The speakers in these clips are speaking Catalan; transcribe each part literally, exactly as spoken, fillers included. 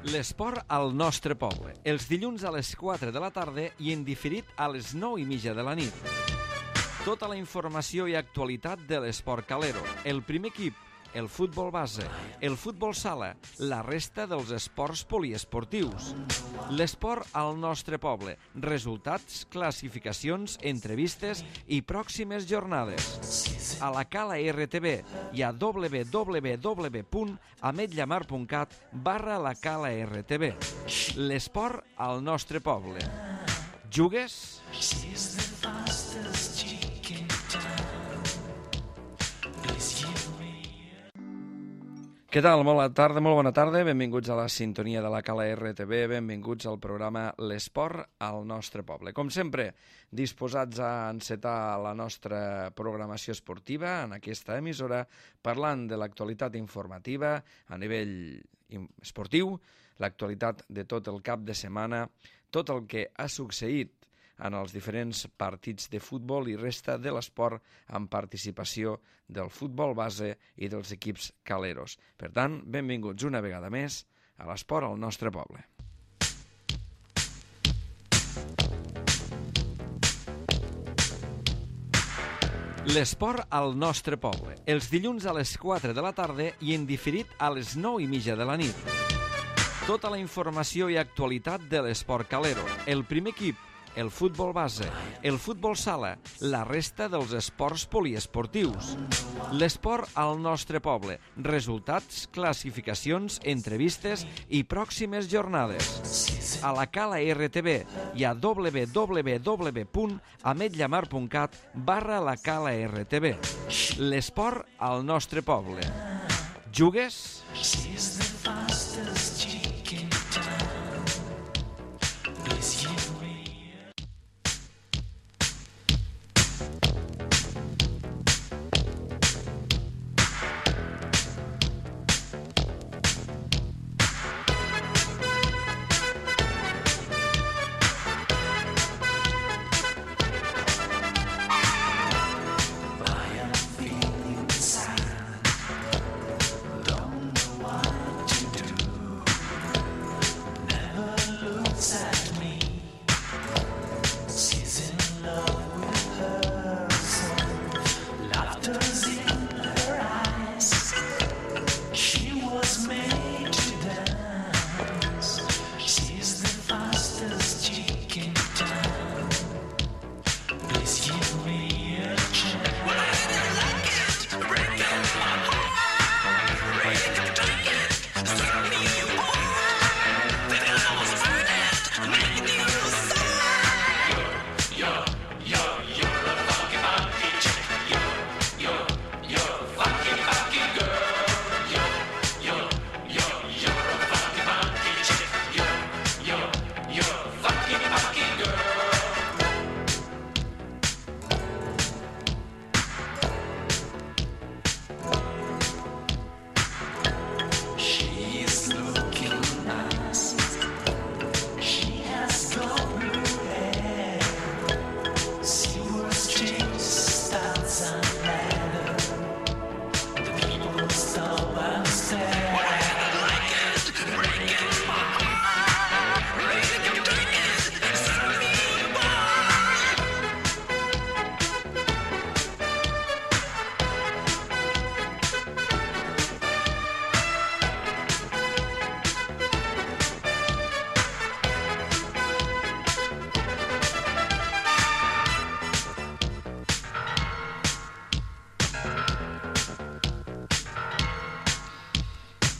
L'esport al nostre poble, els dilluns a les quatre de la tarda i en diferit a les nou i mitja de la nit. Tota la informació i actualitat de l'esport calero, el primer equip, el futbol base, el futbol sala, la resta dels esports poliesportius. L'esport al nostre poble, resultats, classificacions, entrevistes i pròximes jornades. A la Cala R T V i a w w w punt ametlla mar punt cat barra la Cala R T V. L'esport al nostre poble. Jugues? Què tal? Molt bona tarda, molt bona tarda. Benvinguts a la sintonia de la Cala R T V, benvinguts al programa L'Esport al nostre poble. Com sempre, disposats a encetar la nostra programació esportiva en aquesta emissora, parlant de l'actualitat informativa a nivell esportiu, l'actualitat de tot el cap de setmana, tot el que ha succeït en els diferents partits de futbol i resta de l'esport amb participació del futbol base i dels equips caleros. Per tant, benvinguts una vegada més a l'esport al nostre poble. L'esport al nostre poble, els dilluns a les quatre de la tarda i en diferit a les nou i mitja de la nit. Tota la informació i actualitat de l'esport calero, el primer equip, el futbol base, el futbol sala, la resta dels esports poliesportius. L'esport al nostre poble, resultats, classificacions, entrevistes i pròximes jornades. A la Cala R T V i a w w w punt ametlla mar punt cat barra la Cala R T V. L'esport al nostre poble. Jugues?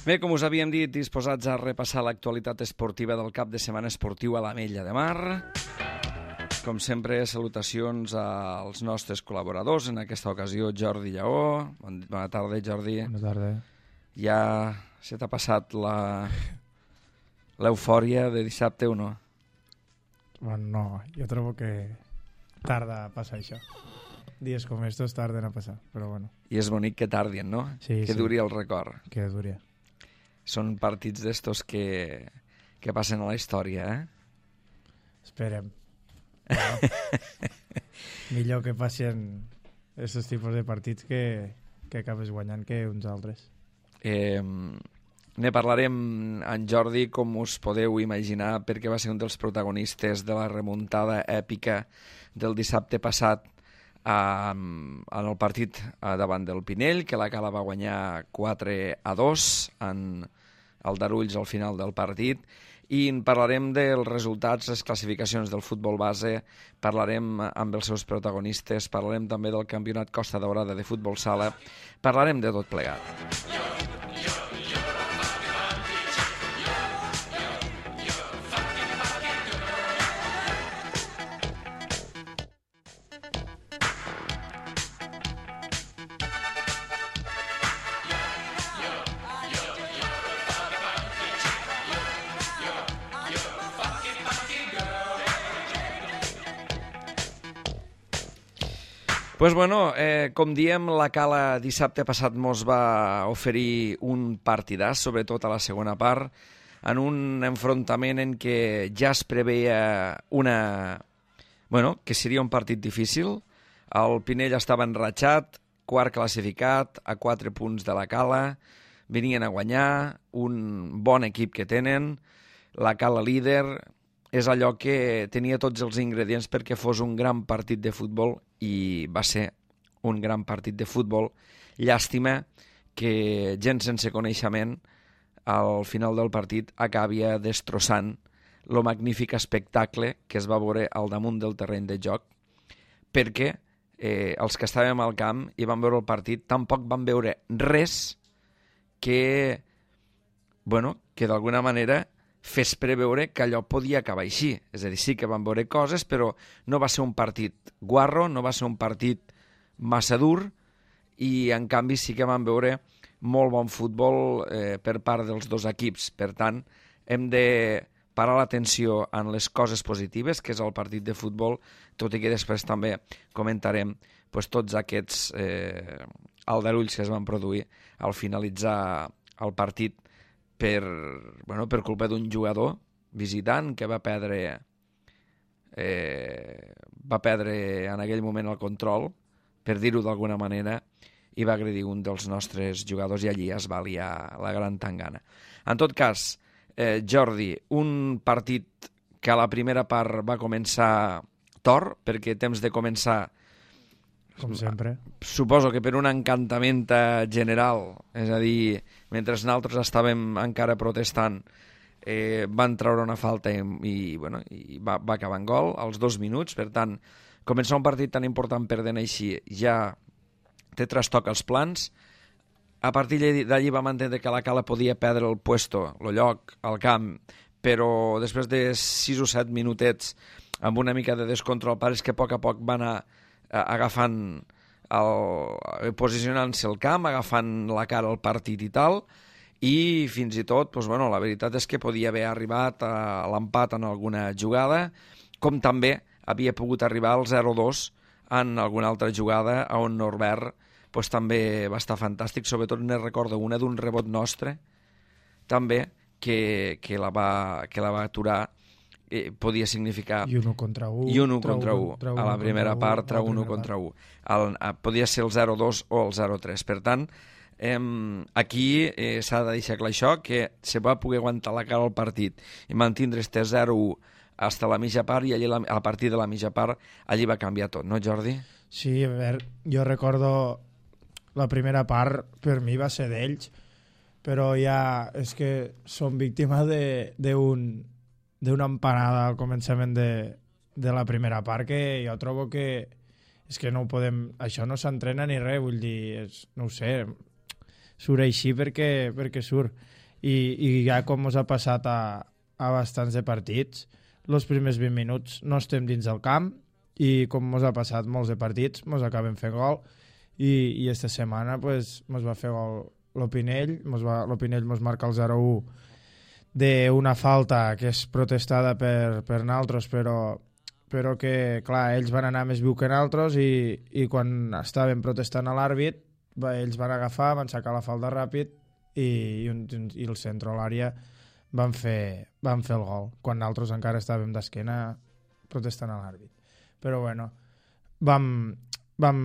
Bé, com us havíem dit, disposats a repassar l'actualitat esportiva del cap de setmana esportiu a l'Ametlla de Mar. Com sempre, salutacions als nostres col·laboradors, en aquesta ocasió Jordi Lleó. Bona tarda, Jordi. Bona tarda. Ja se t'ha passat la l'eufòria de dissabte o no? Bueno, no, jo trobo que tarda a passar això. Dies com estos tarden a passar, però bueno. I és bonic que tardien, no? Sí, que sí. duri el record. Que duri. Són partits d'estos que, que passen a la història, eh? Esperem. Bueno, millor que passin aquests tipus de partits que, que acabes guanyant que uns altres. Eh, ne parlarem en Jordi, com us podeu imaginar, perquè va ser un dels protagonistes de la remuntada èpica del dissabte passat en el partit davant del Pinell, que la Cala va guanyar quatre a dos en el Darulls al final del partit, i en parlarem dels resultats, les classificacions del futbol base, parlarem amb els seus protagonistes, parlarem també del campionat Costa Daurada de futbol sala, parlarem de tot plegat. Pues bueno, eh, com diem, la Cala dissabte passat mos va oferir un partidàs, sobretot a la segona part, en un enfrontament en què ja es preveia una... bueno, que seria un partit difícil. El Pinell estava enratxat, quart classificat, a quatre punts de la Cala, venien a guanyar, un bon equip que tenen, la Cala líder, és allò que tenia tots els ingredients perquè fos un gran partit de futbol, i va ser un gran partit de futbol. Llàstima que gent sense coneixement al final del partit acabia destrossant el magnífic espectacle que es va veure al damunt del terreny de joc, perquè eh, els que estàvem al camp i vam veure el partit tampoc van veure res que, bueno, que d'alguna manera fes preveure que allò podia acabar així. És a dir, sí que van veure coses, però no va ser un partit guarro, no va ser un partit massa dur, i en canvi sí que van veure molt bon futbol eh, per part dels dos equips. Per tant, hem de parar l'atenció en les coses positives, que és el partit de futbol, tot i que després també comentarem pues, tots aquests eh, aldarulls que es van produir al finalitzar el partit per, bueno, per culpa d'un jugador visitant que va perdre eh, va perdre en aquell moment el control, per dir-ho d'alguna manera, i va agredir un dels nostres jugadors, i allí es va liar la gran tangana. En tot cas, eh, Jordi, un partit que a la primera part va començar tort, perquè temps de començar com sempre. Suposo que per un encantament general, és a dir, mentre nosaltres estàvem encara protestant, eh, van treure una falta i, i, bueno, i va, va acabar en gol als dos minuts. Per tant, començar un partit tan important perdent així ja té trastoc als plans. A partir d'allí vam entendre que la Cala podia perdre el puesto, el lloc, al camp, però després de sis o set minutets amb una mica de descontrol, pareix que a poc a poc va anar agafant el, posicionant-se al camp, agafant la cara al partit i tal, i fins i tot, doncs, bueno, la veritat és que podia haver arribat a l'empat en alguna jugada, com també havia pogut arribar al zero dos en alguna altra jugada on Norbert doncs, també va estar fantàstic. Sobretot ne recordo una d'un rebot nostre també que, que, la va, que la va aturar. Eh, podia significar... I un u contra u. I un u contra u. A la primera part, trau un u contra u. El, podia ser el zero dos o el zero tres. Per tant, eh, aquí eh, s'ha de deixar clar això, que se va poder aguantar la cara al partit i mantindre este zero u fins a la mitja part, i allí, a partir de la mitja part allí va canviar tot, no, Jordi? Sí, a veure, jo recordo la primera part, per mi va ser d'ells, però ja és que som víctima d'un d'una empanada al començament de, de la primera part, que jo trobo que és que no ho podem, això no s'entrena ni res, vull dir, és, no ho sé, surt així perquè, perquè surt. I, i ja com ens ha passat a, a bastants de partits, els primers vint minuts no estem dins del camp, i com ens ha passat molts de partits, ens acabem fent gol, i, i esta setmana pues, ens va fer gol l'Opinell, l'Opinell ens marca el zero u d'una falta que és protestada per, per naltros, però, però que, clar, ells van anar més viu que naltros, i, i quan estaven protestant a l'àrbit, ells van agafar, van sacar la falta ràpid, i, i, un, i el centre a l'àrea van fer, van fer el gol, quan naltros encara estàvem d'esquena protestant a l'àrbit. Però bueno, vam, vam,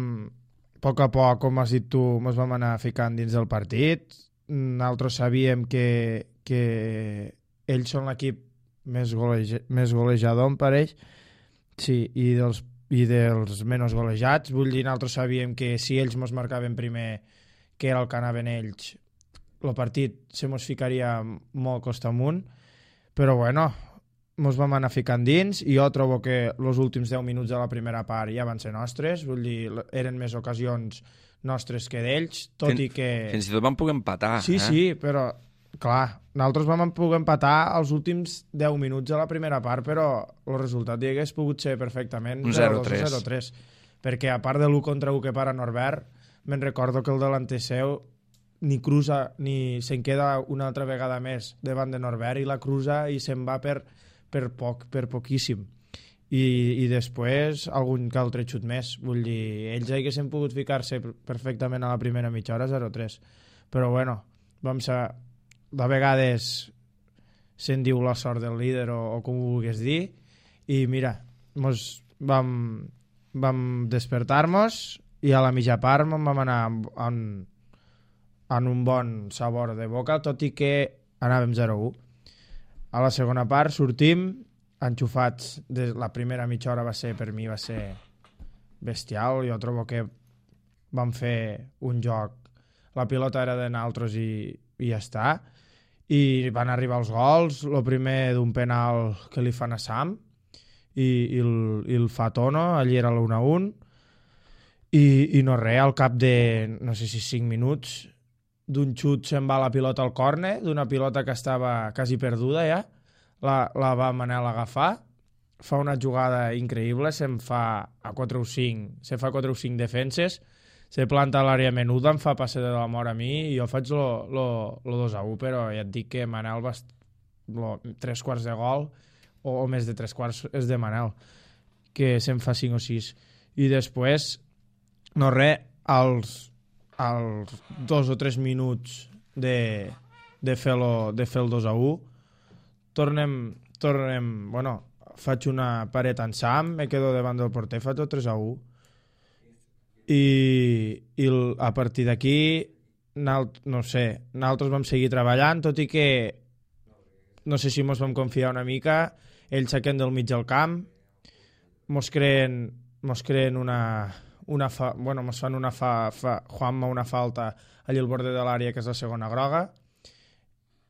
a poc a poc, com has dit tu, ens vam anar ficant dins del partit, nosaltres sabíem que, que ells són l'equip més, goleja, més golejador, em pareix, sí, i dels, i dels menys golejats. Vull dir, nosaltres sabíem que si ells mos marcaven primer, que era el que anaven ells, el partit se mos ficaria molt costa amunt, però bueno, mos vam anar ficant dins i jo trobo que els últims deu minuts de la primera part ja van ser nostres, vull dir, eren més ocasions nostres que d'ells, tot Fin, i que... Fins i tot vam poder empatar. Sí, eh? sí, però, clar, nosaltres vam poder empatar els últims deu minuts de la primera part, però el resultat hi hagués pogut ser perfectament zero tres. zero tres, perquè a part de l'u contra u que para Norbert, me'n recordo que el delanter seu ni cruza, ni se'n queda una altra vegada més davant de Norbert i la cruza i se'n va per, per poc, per poquíssim. I, i després algun que altre xut més. Vull dir, ells haguessin pogut ficar-se perfectament a la primera mitja hora zero tres. Però bueno, vam ser... De vegades se'n diu la sort del líder o, o com ho vulguis dir. I mira, mos vam, vam despertar-nos i a la mitja part vam anar en, en un bon sabor de boca, tot i que anàvem zero u. A la segona part sortim enxufats. De la primera mitja hora va ser, per mi va ser bestial. Jo trobo que vam fer un joc, la pilota era de nosaltres i, i ja està, i van arribar els gols, el primer d'un penal que li fan a Sam i, i, el, i el fa Tono, allí era l'u a u, i, i no res, al cap de no sé si cinc minuts d'un xut se'n va la pilota al córner, d'una pilota que estava quasi perduda ja, La, la va Manel agafar, fa una jugada increïble, se'n fa a quatre o cinc, se fa quatre o cinc defenses, se planta a l'àrea menuda, em fa passe de la mort a mi i jo faig el dos a u, però ja et dic que Manel va lo, tres quarts de gol o, o més de tres quarts és de Manel, que se'n fa cinc o sis. I després, no res, als, als dos o tres minuts de, de, fer, lo, de fer el dos a u, Tornem, tornem, bueno, faig una paret en Sam, me quedo davant del porter, faig el tres a u. I, i el, a partir d'aquí, no sé, nosaltres vam seguir treballant, tot i que no sé si mos vam confiar una mica, ells saquen del mig del camp, mos creen, mos creen una, una fa, bueno, mos fan una fa, fa, Juanma una falta allà al borde de l'àrea, que és la segona groga.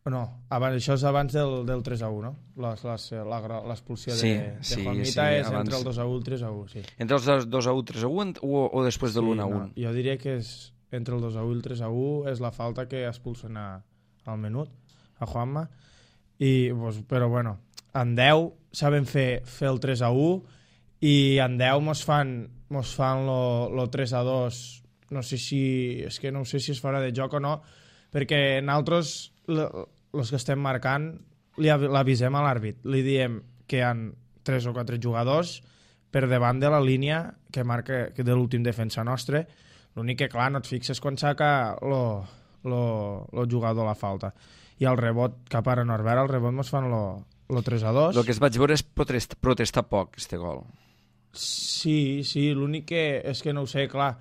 No, abans, això és abans del, del tres a u, no? L'expulsió sí, de, de sí, Juanmita sí, és abans... entre el dos a u i el tres a u, sí. Entre els dos a u, tres a u o, o després de l'u a u? No, jo diria que és entre el dos a u i el tres a u és la falta que expulsen a, al menut, a Juanma, i, pues, però bueno, en deu saben fer, fer el tres a u i en deu mos fan, mos fan lo, lo tres a dos, no sé si, és que no sé si es farà de joc o no, perquè nosaltres... els que estem marcant l'avisem a l'àrbit, li diem que hi ha tres o quatre jugadors per davant de la línia que marca que de l'últim defensa nostre. L'únic que, clar, no et fixes quan saca el jugador la falta. I el rebot cap a Norbert, el rebot mos fan el tres a dos. El que es vaig veure és protestar, protestar poc, este gol. Sí, sí, l'únic que és que no ho sé, clar.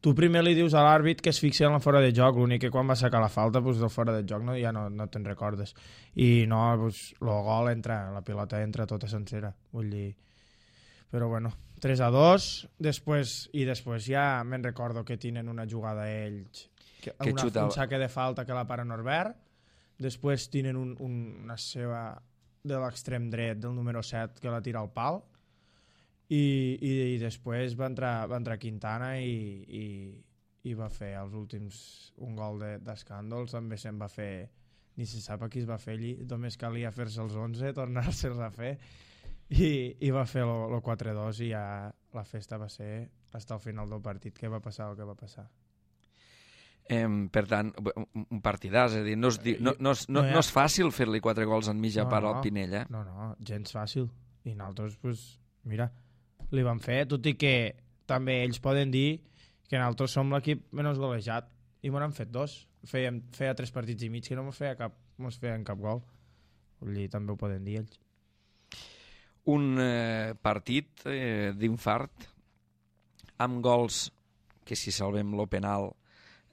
Tu primer li dius a l'àrbit que es fixi en la fora de joc, l'únic que quan va sacar la falta, doncs del fora de joc no, ja no, no te'n recordes. I no, doncs, el gol entra, la pilota entra tota sencera, vull dir... Però bueno, tres a dos, després, i després ja me'n recordo que tenen una jugada ells, que, que una, un saque de falta que la para Norbert, després tenen un, un, una seva de l'extrem dret del número set que la tira al pal, I, i, i després va entrar, va entrar Quintana i, i, i va fer els últims un gol d'escàndol, de, també se'n va fer, ni se sap a qui es va fer allí, només calia fer-se els onze, tornar-se'ls a fer, i, i va fer el quatre a dos i ja la festa va ser fins al final del partit, que va passar el que va passar. Eh, per tant, un partidàs, és a dir, no és, no, no, és, no, no és fàcil fer-li quatre gols en mitja no, part no, al Pinell, eh? No, no, gens fàcil. I nosaltres, pues, mira, li van fer, tot i que també ells poden dir que nosaltres som l'equip menys golejat i m'ho han fet dos. Fèiem, feia tres partits i mig que no mos feia cap, mos feien cap gol. Vull dir, també ho poden dir ells. Un eh, partit eh, d'infart amb gols que, si salvem lo penal,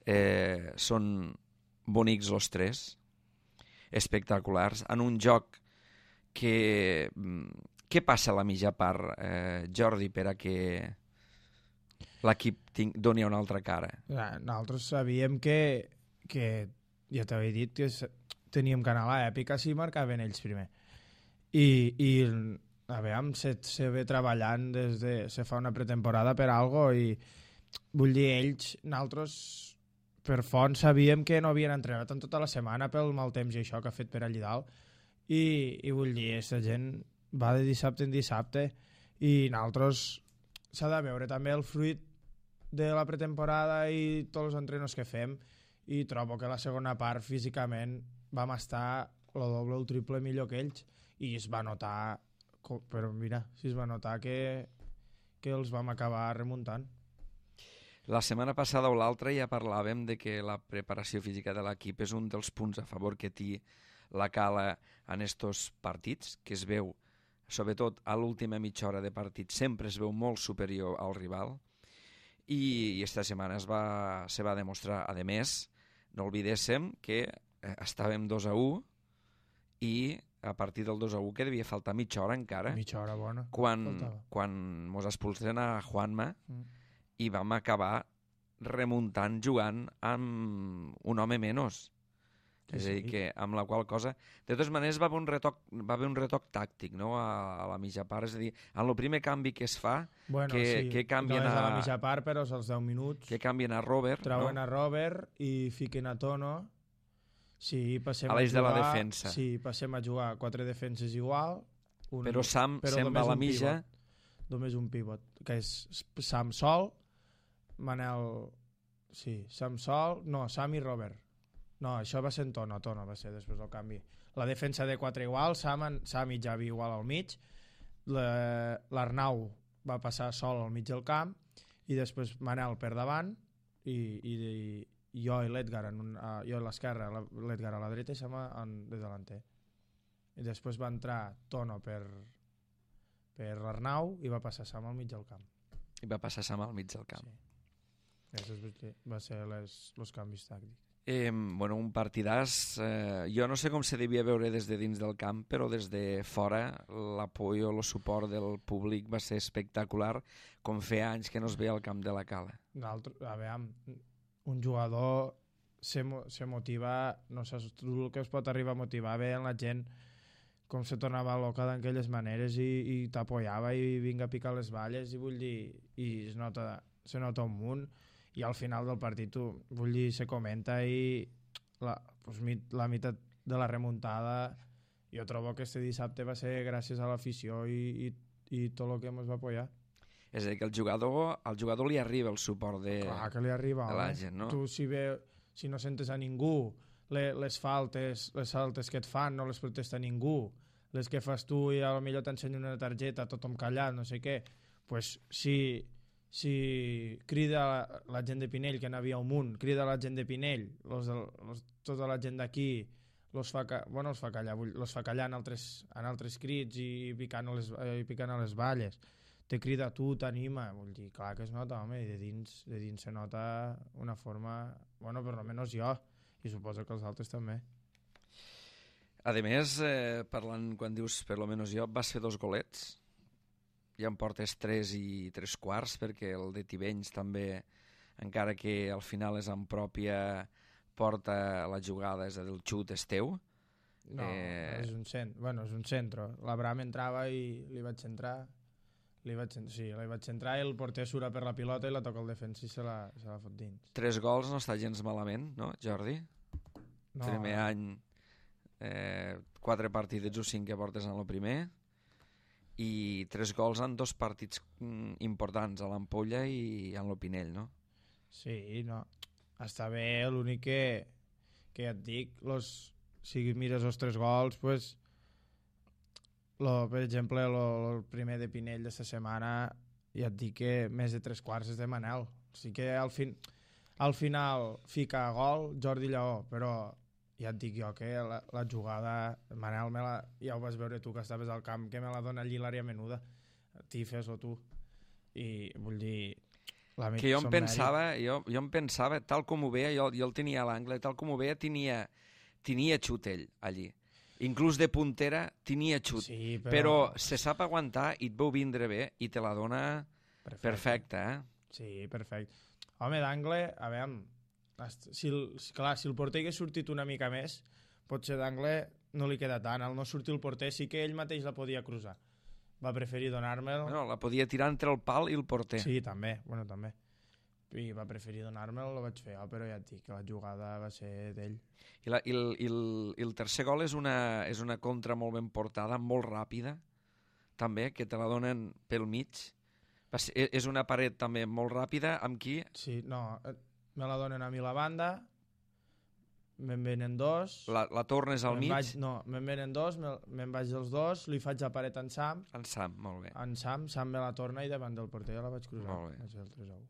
eh, són bonics els tres, espectaculars, en un joc que... Què passa a la mitja part, eh, Jordi, per a que l'equip ting- doni una altra cara? Nosaltres sabíem que, que ja t'havia dit que teníem que anar a l'èpica si marcaven ells primer. I, i a veure, se, se ve treballant des de... se fa una pretemporada per algo i vull dir, ells, nosaltres per font sabíem que no havien entrenat en tota la setmana pel mal temps i això que ha fet per allà dalt i, i vull dir, aquesta gent va de dissabte en dissabte i nosaltres s'ha de veure també el fruit de la pretemporada i tots els entrenos que fem i trobo que la segona part físicament vam estar el doble o el triple millor que ells i es va notar, però mira, si es va notar que, que els vam acabar remuntant. La setmana passada o l'altra ja parlàvem de que la preparació física de l'equip és un dels punts a favor que té la Cala en estos partits, que es veu, sobretot a l'última mitja hora de partit, sempre es veu molt superior al rival i, i esta setmana es va, se va demostrar. A més, no oblidéssim que eh, estàvem dos a u i a partir del dos a u que devia faltar mitja hora encara. Mitja hora bona. Quan, quan mos expulsen a Juanma mm. i vam acabar remuntant jugant amb un home menys. Sí, és a dir, que amb la qual cosa... De totes maneres, va haver un retoc, va haver un retoc tàctic, no?, a, a la mitja part. És a dir, en el primer canvi que es fa, bueno, que, sí. que canvien no és a... a la mitja part, però és als deu minuts. Que canvien a Robert, Trauen no? a Robert i fiquen a Tono. Sí, passem a l'eix de la defensa. Sí, passem a jugar quatre defenses igual. Un, però Sam però se'n va a la mitja. Pivot, només un pivot, que és Sam sol, Manel... Sí, Sam sol... No, Sam i Robert. No, això va ser en Tono, Tono va ser després del canvi. La defensa de quatre igual, Sam, Sam i Javi igual al mig, l'Arnau va passar sol al mig del camp i després Manel per davant i, i, i jo i l'Edgar uh, jo a l'esquerra, l'Edgar a la dreta i Sam en, de delanter. I després va entrar Tono per, per l'Arnau i va passar Sam al mig del camp. I va passar Sam al mig del camp. Sí. Això va ser les, els canvis tàctics. Eh, bueno, un partidàs, eh, jo no sé com se devia veure des de dins del camp, però des de fora l'apoyo o el suport del públic va ser espectacular, com feia anys que no es veia al camp de la Cala. A veure, un jugador se, se motiva, no sé, el que es pot arribar a motivar bé en la gent, com se tornava loca d'aquelles maneres i, i t'apoyava i vinga a picar les balles i vull dir, i es nota, se nota un munt. I al final del partit, vull dir, se comenta i la, pues, la meitat de la remuntada jo trobo que este dissabte va ser gràcies a l'afició i, i, i tot el que ens va apoyar. És a dir, que el jugador, al jugador li arriba el suport de, Clar que li arriba, de la gent, no? Tu si, ve, si no sentes a ningú, les, les faltes les faltes que et fan no les protesta ningú, les que fas tu i potser t'ensenya una targeta, tothom callat, no sé què, pues si... si crida la, la gent de Pinell, que n'havia un munt, crida la gent de Pinell, los, los, tota la gent d'aquí, los fa, bueno, els fa callar, los fa callar en altres, en altres crits i picant a les, i picant a les balles. Te crida a tu, t'anima, vull dir, clar que es nota, home, i de dins, de dins se nota una forma, bueno, per almenys jo, i suposo que els altres també. A més, eh, parlant, quan dius per almenys jo, vas fer dos golets, ja em portes tres i tres quarts, perquè el de Tivenys també, encara que al final és en pròpia porta la jugada, és a dir, el xut és teu. No, eh... és un cent, bueno, és un centre. L'Abraham entrava i li vaig entrar, li vaig, sí, li vaig entrar i el porter sura per la pilota i la toca el defensa i se la, se la fot dins. Tres gols no està gens malament, no, Jordi? No. Primer any, eh, quatre partidets o cinc que portes en el primer, i tres gols en dos partits importants, a l'Ampolla i en l'Opinell, no? Sí, no. Està bé, l'únic que, que ja et dic, los, si mires els tres gols, pues, lo, per exemple, lo, el primer de Pinell de la setmana, ja et dic que més de tres quarts és de Manel. O sigui que al, fin, al final fica gol Jordi Lleó, però ja et dic jo que la, la jugada, Manel, me la, ja ho vas veure tu que estaves al camp, que me la dona allí l'àrea menuda, t'hi fes-ho tu. I vull dir, que jo em pensava, jo, jo em pensava, tal com ho veia, jo, jo el tenia a l'angle, tal com ho veia, tenia, tenia xut ell allí. Inclús de puntera tenia xut. Sí, però... però se sap aguantar i et veu vindre bé i te la dona perfecte, perfecte eh? Sí, perfecte. Home, d'angle, a veure, si el, clar, si el porter hagués sortit una mica més, potser d'angle no li queda tant. Al no sortir el porter sí que ell mateix la podia cruzar. Va preferir donar-me'l... Bueno, la podia tirar entre el pal i el porter. Sí, també, bueno, també. I va preferir donar-me'l, lo vaig fer, oh, però ja et dic que la jugada va ser d'ell. I, la, i, el, i, el, I el tercer gol és una, és una contra molt ben portada, molt ràpida, també, que te la donen pel mig. Va ser, és una paret també molt ràpida, amb qui... Sí, no, me la donen a mi la banda, me'n venen dos... La, la tornes al mig? Vaig, no, me'n venen dos, me'n me vaig dels dos, li faig la paret en Sam. En Sam, molt bé. En Sam, Sam me la torna i davant del porter ja la vaig cruzar. Molt bé. Vaig fer el tres a u.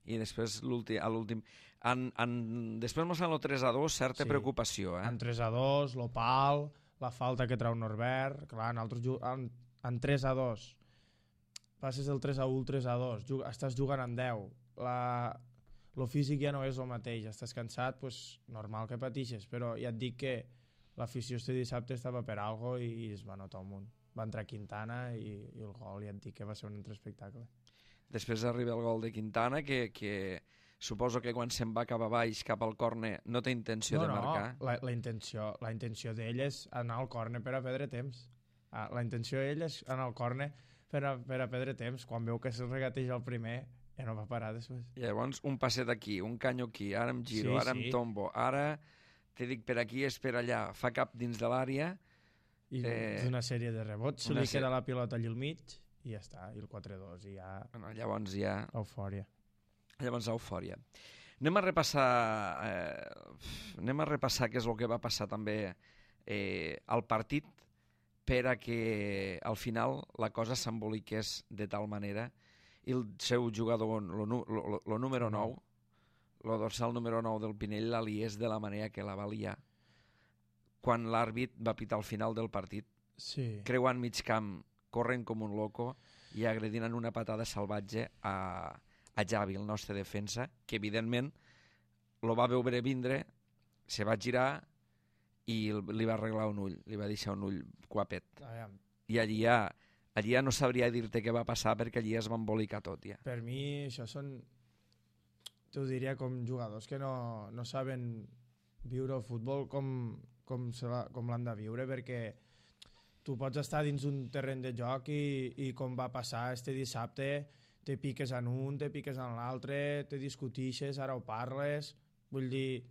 I després a l'últim... En, en, després mos fan el tres a dos, certa sí. preocupació, eh? En tres a dos, l'Opal, la falta que trau Norbert... Clar, en, altres, en, en tres a dos passes del tres a u al tres a dos, jug, estàs jugant en deu. La... el físic ja no és el mateix, estàs cansat, pues, normal que patixes, però ja et dic que l'afició este dissabte estava per algo i, i es va notar un munt. Va entrar Quintana i, i el gol, ja et dic que va ser un altre espectacle. Després arriba el gol de Quintana, que, que suposo que quan se'n va cap a baix, cap al córner, no té intenció no, de marcar. No, la, la intenció, la intenció d'ell és anar al córner per a perdre temps. Ah, la intenció d'ell és anar al córner per a, per a perdre temps. Quan veu que se'l regateja el primer, ja no va parar després. I llavors un passet aquí, un canyo aquí, ara em giro, sí, ara sí. em tombo, ara te dic per aquí, és per allà, fa cap dins de l'àrea. I eh, una sèrie de rebots, se li queda la pilota allà al mig i ja està, i el quatre a dos, i ja... Bueno, llavors ja... Eufòria. Llavors eufòria. Anem a repassar, eh, anem a repassar què és el que va passar també eh, al partit per a que al final la cosa s'emboliqués de tal manera i el seu jugador, el número nou, el dorsal número nou del Pinell, la liés de la manera que la va liar quan l'àrbit va pitar al final del partit. Sí. Creuant mig camp, corrent com un loco i agredint en una patada salvatge a, a Javi, el nostre defensa, que evidentment lo va veure vindre, se va girar i li va arreglar un ull, li va deixar un ull guapet. Ah, I allí ja, allí ja no sabria dir-te què va passar perquè allí es va embolicar tot ja. Per mi això són, t'ho diria, com jugadors que no, no saben viure el futbol com, com, com l'han de viure, perquè tu pots estar dins un terreny de joc i, i com va passar este dissabte, te piques en un, te piques en l'altre, te discutixes, ara ho parles, vull dir,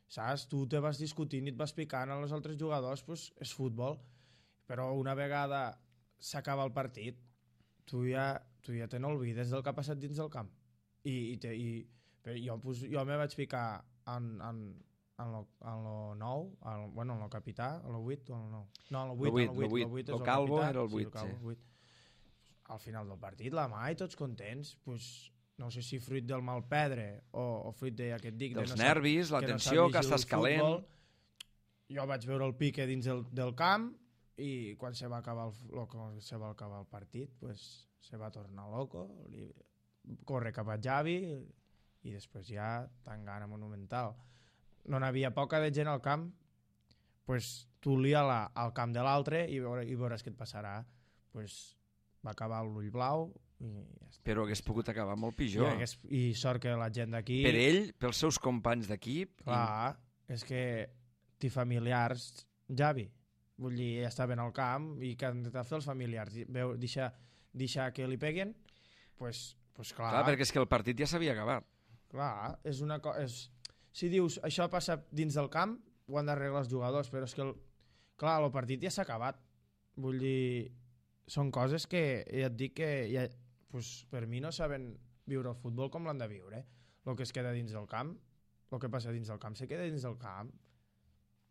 saps? Tu te vas discutint i et vas picant als altres jugadors, doncs és futbol, però una vegada s'acaba el partit, tu ja, tu ja te n'olvides del que ha passat dins del camp. I, i, te, i jo, pues, jo me vaig ficar en, en, en lo, en lo nou, en, bueno, en lo capità, en lo vuit o en lo nou? No, en lo vuit, en lo vuit, lo vuit, lo calvo era el vuit, sí. vuit. Al final del partit, la mà i tots contents, pues, no sé si fruit del mal pedre o, o fruit de, ja que et dic, dels no nervis, sap, la tensió, que, no que estàs calent. Futbol, jo vaig veure el pique dins el, del camp i quan se va acabar el, lo, se va acabar el partit, pues, se va tornar loco, li, corre cap a Javi i després ja tan gana monumental. No n'havia poca de gent al camp, pues, tu lia-la al camp de l'altre i, veure, i veuràs què et passarà. Pues, va acabar l'ull blau i ja està. Però hagués pogut acabar molt pitjor. I, hagués, i sort que la gent d'aquí... Per ell, pels seus companys d'equip... Clar, i... és que té familiars, Javi, vull dir, ja estaven al camp i que han de fer els familiars, veu, deixar, deixar que li peguen, pues, pues clar... Clar, perquè és que el partit ja s'havia acabat. Clar, és una cosa... És... Si dius, això passa dins del camp, ho han d'arreglar els jugadors, però és que, el... clar, el partit ja s'ha acabat. Vull dir, són coses que ja et dic que ja, pues, per mi no saben viure el futbol com l'han de viure. El que es queda dins del camp, el que passa dins del camp, se queda dins del camp.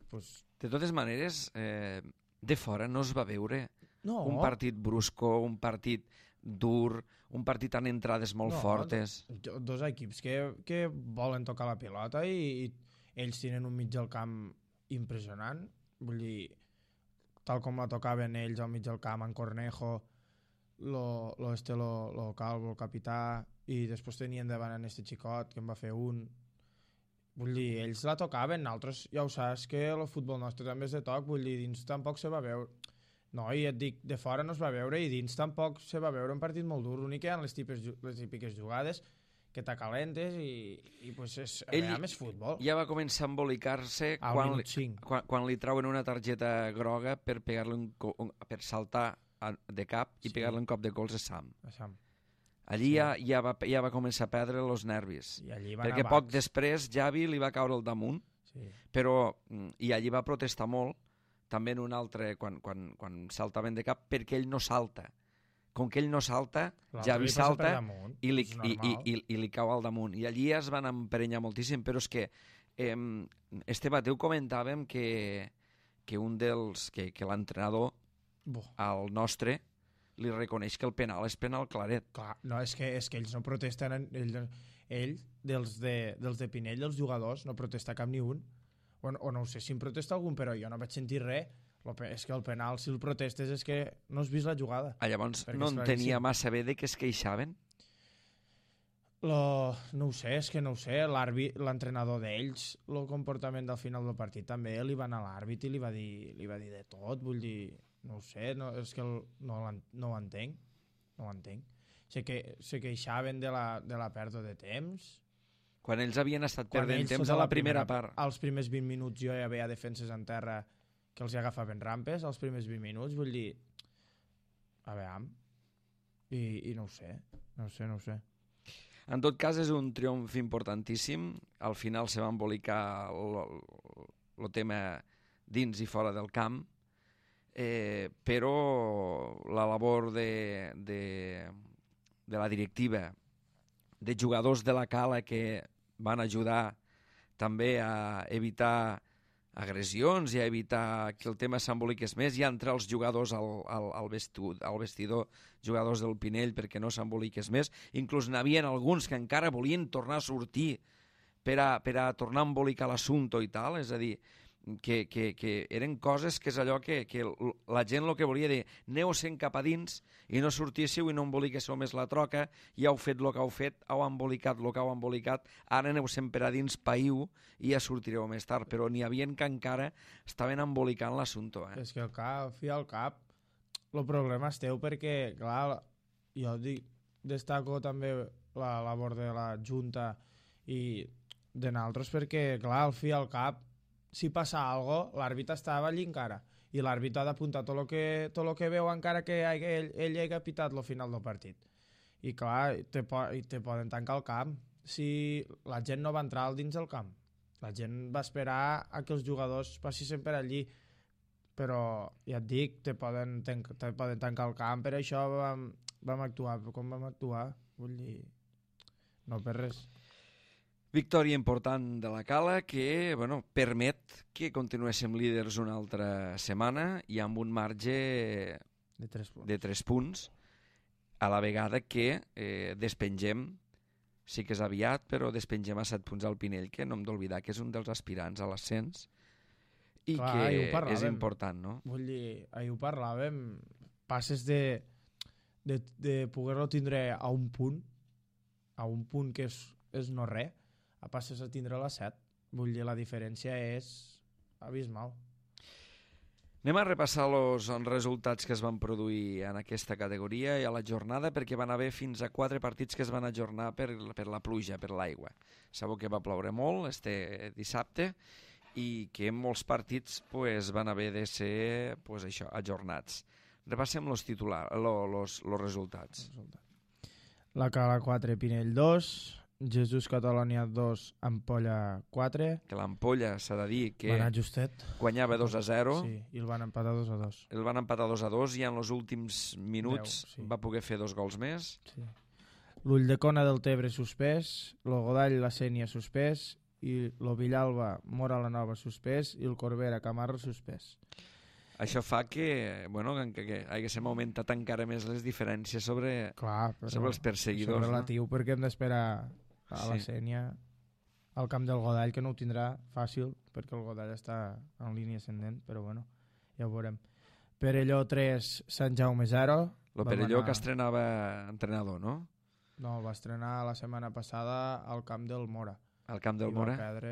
Pues... De totes maneres, eh, de fora no es va veure no. un partit brusco, un partit dur, un partit amb entrades molt no, fortes. Do, dos equips que, que volen tocar la pilota i, i ells tenen un mig del camp impressionant. Vull dir, tal com la tocaven ells al mig del camp, en Cornejo, lo, lo, este, lo, lo calvo, el capità, i després tenien davant en este xicot que en va fer un. Vull dir, ells la tocaven, nosaltres ja ho saps que el futbol nostre també és de toc, vull dir, dins tampoc se va veure. No, i et dic, de fora no es va veure i dins tampoc se va veure un partit molt dur, l'únic que hi ha les, tipes, les típiques jugades que t'acalentes i, i pues és, Ell veiem, és futbol. Ja va començar a embolicar-se quan, li, quan, quan li trauen una targeta groga per pegar-li un, un, per saltar a, de cap i sí. pegar-li un cop de colze a Sam. A Sam. Allí sí. ja, ja, va, ja va començar a perdre els nervis. I allí perquè poc després Javi li va caure al damunt, sí. però, i allí va protestar molt, també en un altre, quan, quan, quan saltaven de cap, perquè ell no salta. Com que ell no salta, Javi salta i li, i, i, i, i li cau al damunt. I allí es van emprenyar moltíssim, però és que eh, Esteve, tu comentàvem que, que un dels, que, que l'entrenador, al nostre, li reconeix que el penal és penal claret. Clar, no, és que, és que ells no protesten, ell, ell dels, de, dels de Pinell, els jugadors, no protesta cap ni un. O, o no sé si em protesta algun, però jo no vaig sentir res. És que el penal, si el protestes, és que no has vist la jugada. Ah, llavors no en tenia massa bé de que es queixaven? Lo, no ho sé, és que no ho sé. L'entrenador d'ells, el comportament del final del partit, també li va anar a l'àrbit i li va, dir, li va dir de tot. Vull dir, no ho sé, no, és que el, no, no ho entenc. No ho entenc. Sé que se queixaven de la, de la pèrdua de temps. Quan ells havien estat perdent temps a la primera, primera part. Als primers vint minuts jo ja veia defenses en terra que els agafaven rampes als primers vint minuts, vull dir, a veure, i, i no ho sé, no ho sé, no ho sé. En tot cas, és un triomf importantíssim, al final se va embolicar el tema dins i fora del camp, eh, però la labor de, de, de la directiva, de jugadors de la Cala que van ajudar també a evitar agressions i a evitar que el tema s'emboliqués més i a entrar els jugadors al, al, al, vestu, al vestidor, jugadors del Pinell, perquè no s'emboliqués més. Inclús n'hi havia alguns que encara volien tornar a sortir per a, per a tornar a embolicar l'assumpte i tal, és a dir, que, que, que eren coses que és allò que, que la gent el que volia dir, aneu sent cap a dins i no sortíssiu i no emboliquéssiu més la troca, ja heu fet el que heu fet, heu embolicat el que heu embolicat, ara aneu sempre a dins, païu, i ja sortireu més tard, però n'hi havia que encara estaven embolicant l'assumpte. Eh? És que al cap, fi al cap, el problema esteu perquè, clar, jo dic, destaco també la labor de la Junta i de nosaltres perquè, clar, al fi al cap, si passa alguna cosa, l'àrbit estava allí encara i l'àrbit ha d'apuntar tot el que, tot el que veu encara que ell, ell hagi pitat al final del partit. I clar, te, te poden tancar el camp si la gent no va entrar al dins del camp. La gent va esperar a que els jugadors passessin per allí, però ja et dic, te poden, te, te poden tancar el camp, per això vam, vam actuar com vam actuar, vull dir, no per res. Victòria important de la Cala que bueno, permet que continuéssim líders una altra setmana i amb un marge de tres punts, de tres punts a la vegada que eh, despengem, sí que és aviat, però despengem a set punts al Pinell, que no hem d'oblidar que és un dels aspirants a l'ascens i Clar, que és important, no? Vull dir, ahir ho parlàvem, passes de, de, de poder-lo tindre a un punt, a un punt que és, és no res, a passes a tindre la set. Vull dir, la diferència és abismal. Anem a repassar els resultats que es van produir en aquesta categoria i a la jornada, perquè van haver fins a quatre partits que es van ajornar per, per la pluja, per l'aigua. Sabeu que va ploure molt este dissabte i que en molts partits pues, van haver de ser pues, això, ajornats. Repassem els titulars, los, los resultats. La Cala quatre, Pinell dos, Jesús Catalonia dos, Ampolla quatre. Que l'Ampolla s'ha de dir que va anar justet, guanyava dos a zero. Sí, i el van empatar dos a dos. El van empatar dos a dos i en els últims minuts deu, sí. va poder fer dos gols més. Sí. L'Ull de Cona del Tebre suspès, el Godall la Sénia suspès, i el Villalba Mora la Nova suspès i el Corbera Camarro suspès. Això fa que, bueno, que, que haguéssim augmentat encara més les diferències sobre, Clar, sobre els perseguidors. És relatiu, no? Perquè hem d'esperar a sí. la Sénia al camp del Godall, que no ho tindrà fàcil, perquè el Godall està en línia ascendent, però bueno, ja ho veurem. Perelló tres, Sant Jaume zero, El Perelló que estrenava entrenador, no? No, va estrenar la setmana passada al camp del Mora. Al camp del I Mora? va perdre,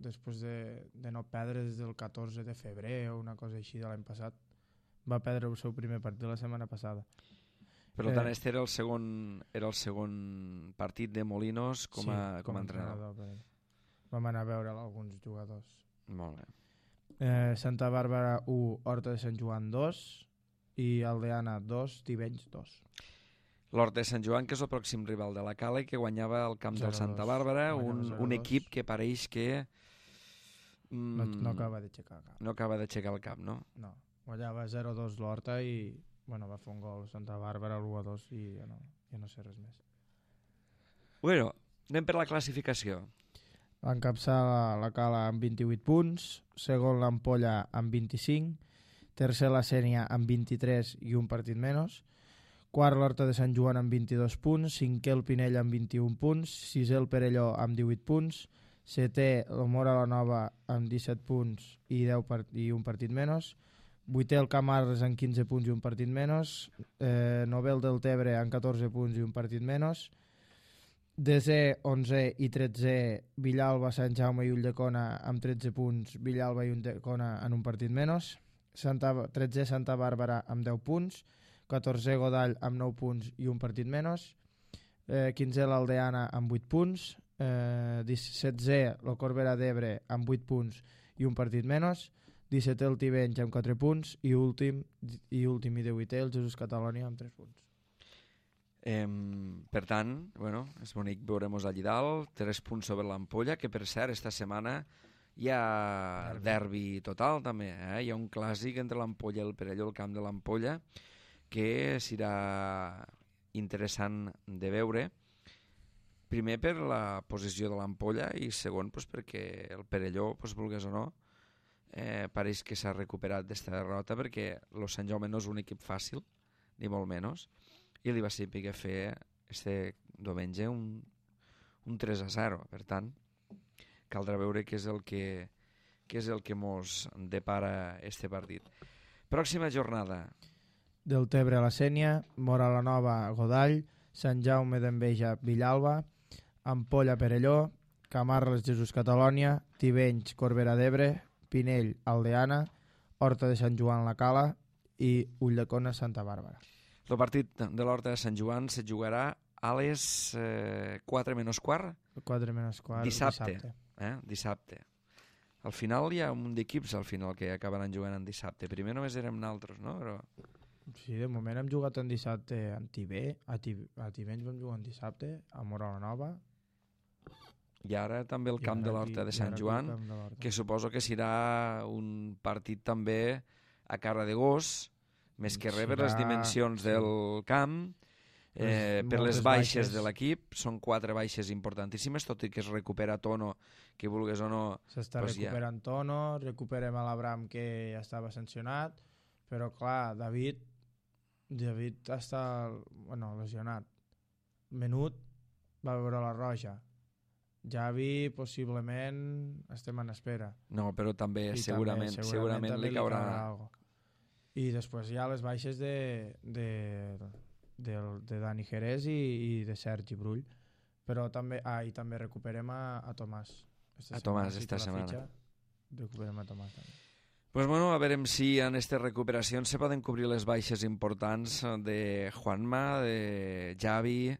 després de, de no perdre des del catorze de febrer o una cosa així de l'any passat, va perdre el seu primer partit la setmana passada. Per tant, este era el segon, era el segon partit de Molinos com a, sí, com a entrenador. entrenador. Vam anar a veure alguns jugadors. Molt bé. Eh, Santa Bàrbara u, Horta de Sant Joan dos i Aldeana dos, Tivenys dos. L'Horta de Sant Joan, que és el pròxim rival de la Cala i que guanyava el camp del Santa Bàrbara, un, un equip que pareix que... Mm, no, no acaba d'aixecar el cap. No acaba d'aixecar el cap, no? No, guanyava zero dos l'Horta i bueno, va fer un gol Santa Bàrbara, l'u a dos i ja no, ja no sé res més. Bueno, anem per la classificació. Va encapçar la, la Cala amb vint-i-vuit punts, segon l'Ampolla amb vint-i-cinc, tercer la Sénia amb vint-i-tres i un partit menys, quart l'Horta de Sant Joan amb vint-i-dos punts, cinquè el Pinell amb vint-i-un punts, sisè el Perelló amb divuit punts, setè el Mora la Nova amb disset punts i, deu part i un partit menys, vuitè el Camarles amb quinze punts i un partit menys, eh, novè el Deltebre amb catorze punts i un partit menys, desè, onzè i tretzè Villalba, Sant Jaume i Ulldecona amb tretze punts, Villalba i Ulldecona en un partit menys, Santa, tretzè Santa Bàrbara amb deu punts, catorzè Godall amb nou punts i un partit menys, eh, quinzè l'Aldeana amb vuit punts, eh, setzè el Corbera d'Ebre amb vuit punts i un partit menys, dissetè el Tivenys amb quatre punts i últim i últim i divuitè el Jesús Catalònia amb tres punts. Eh, per tant, bueno, és bonic veure-mos allí dalt, tres punts sobre l'Ampolla, que per cert, esta setmana hi ha derbi, derbi total també, eh? Hi ha un clàssic entre l'Ampolla i el Perelló, el camp de l'Ampolla, que serà interessant de veure, primer per la posició de l'Ampolla i segon pues, perquè el Perelló, pues, vulgues o no, eh, pareix que s'ha recuperat d'esta derrota perquè el Sant Jaume no és un equip fàcil, ni molt menys, i li va saber fer este diumenge un, un tres a zero. Per tant, caldrà veure què és el que, què és el que mos depara este partit. Pròxima jornada. Deltebre a la Sénia, Mora la Nova Godall, Sant Jaume d'Enveja Villalba, Ampolla Perelló, Camarles Jesús Catalònia, Tivenys Corbera d'Ebre, Pinell Aldeana, Horta de Sant Joan la Cala i Ulldecona Santa Bàrbara. El partit de l'Horta de Sant Joan se jugarà a les eh, quatre menys quart? quatre menys quart, dissabte. dissabte. Eh? Dissabte. Al final hi ha un munt d'equips al final que acabaran jugant en dissabte. Primer només érem naltros, no? Però... Sí, de moment hem jugat en dissabte en Tibé, a, Tib a Tivenys vam jugar en dissabte, a Mora la Nova. I ara també el camp de l'Horta de Sant Joan, que suposo que serà un partit també a cara de gos, més que res per les dimensions del camp, eh, per les baixes de l'equip, són quatre baixes importantíssimes, tot i que es recupera Tono, que vulgues o no... S'està recuperant Tono, recuperem a l'Abram que ja estava sancionat, però clar, David, David està bueno, lesionat. Menut va veure la roja. Javi, possiblement, estem en espera. No, però també, I segurament, també, segurament, segurament li caurà... Li caurà I després hi ha les baixes de, de, de, de Dani Jerez i, i de Sergi Brull. Però també, ah, i també recuperem a, a Tomàs. Esta a Tomàs, esta setmana. Fitxa, recuperem a Tomàs també. Pues bueno, a veure si en aquestes recuperacions se poden cobrir les baixes importants de Juanma, de Javi,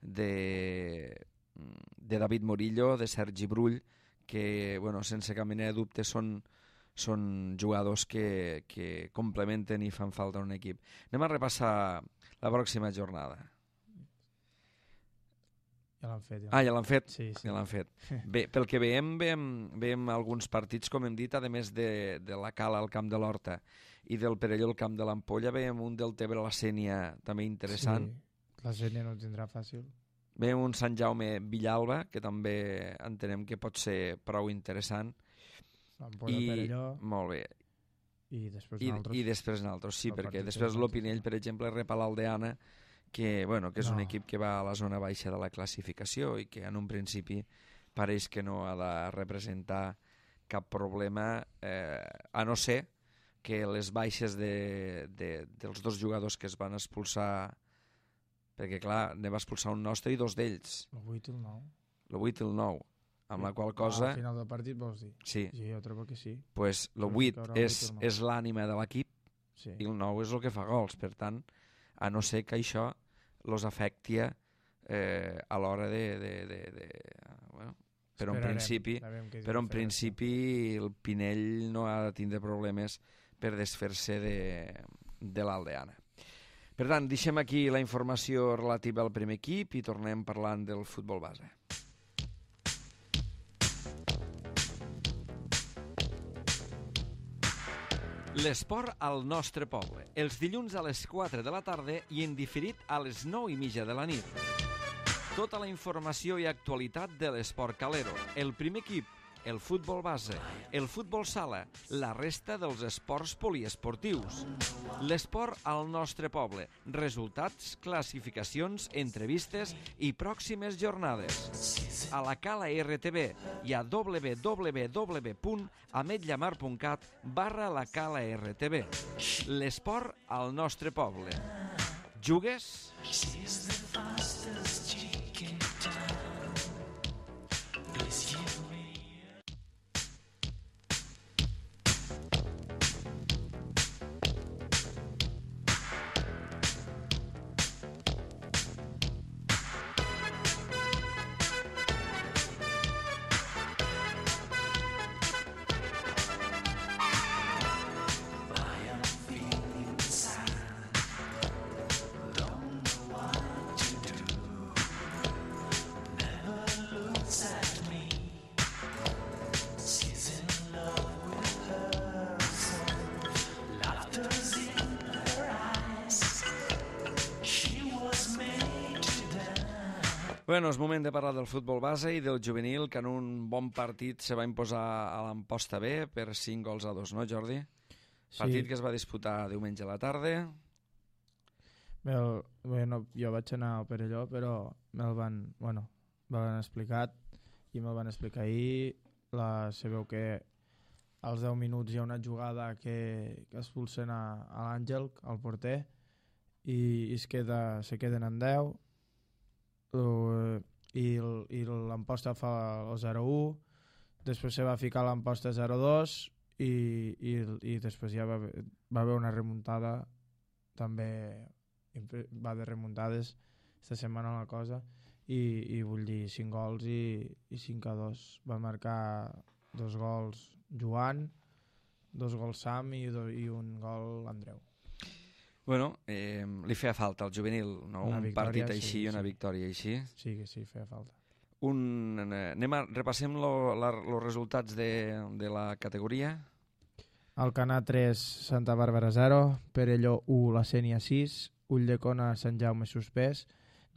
de, de David Morillo, de Sergi Brull, que, bueno, sense cap mena de dubte són, són jugadors que, que complementen i fan falta en un equip. Anem a repassar la pròxima jornada. Ja l'han fet. Ja. Ah, ja l'han fet? Sí, sí. Ja l'han fet. Bé, pel que veiem, veiem, veiem alguns partits, com hem dit, a més de, de la Cala al camp de l'Horta i del Perelló al camp de l'Ampolla, veiem un del Tebre a la Sénia també interessant. Sí, la Sénia no ho tindrà fàcil. Veiem un Sant Jaume Villalba, que també entenem que pot ser prou interessant. L'Ampolla Perelló. Molt bé. I després I, naltros. I després naltros, sí, perquè després l'Opinell, per exemple, rep a l'Aldeana, que, bueno, que és no. un equip que va a la zona baixa de la classificació i que en un principi pareix que no ha de representar cap problema, eh, a no ser que les baixes de, de, dels dos jugadors que es van expulsar, perquè clar, ne va expulsar un nostre i dos d'ells. El vuit i el nou. El vuit i el nou, amb la qual cosa... Al final del partit vols dir? Sí. Sí, jo trobo que sí. Pues el vuit és, és l'ànima de l'equip sí. i el nou és el que fa gols. Per tant, a no ser que això els afecti eh, a l'hora de... de, de, de bueno, però en principi, però en principi el Pinell no ha de tindre problemes per desfer-se de, de l'Aldeana. Per tant, deixem aquí la informació relativa al primer equip i tornem parlant del futbol base. L'esport al nostre poble, els dilluns a les quatre de la tarda i en diferit a les nou i mitja de la nit. Tota la informació i actualitat de l'esport calero, el primer equip, el futbol base, el futbol sala, la resta dels esports poliesportius. L'esport al nostre poble, resultats, classificacions, entrevistes i pròximes jornades. A la Cala R T V i a w w w punt ametlllamar punt cat barra la Cala R T V. L'esport al nostre poble. Jugues? Bueno, és moment de parlar del futbol base i del juvenil, que en un bon partit se va imposar a l'Amposta B per cinc gols a dos, no, Jordi? Sí. Partit que es va disputar diumenge a la tarda. Me'l, bueno, jo vaig anar al Perelló, però me'l van, bueno, me l'han explicat i me'l van explicar ahir. La, sabeu que als deu minuts hi ha una jugada que, que expulsen a, a l'Àngel, al porter, i, i es queda, se queden en deu. Uh, i, i l'Amposta fa el zero u, després se va ficar l'Amposta zero dos i, i, i després ja va, va haver una remuntada, també va de remuntades esta setmana la cosa, i, i vull dir cinc gols i, i cinc a dos. Va marcar dos gols Joan, dos gols Sam i, do, i un gol Andreu. Bueno, eh, li feia falta al juvenil, no? Un victòria, partit així i sí, una sí. victòria així. Sí, que sí, feia falta. Un, eh, anem a, repassem els resultats de, de la categoria. Alcanar tres, Santa Bàrbara zero, Perelló u, La Sénia sis, Ulldecona, Sant Jaume suspès,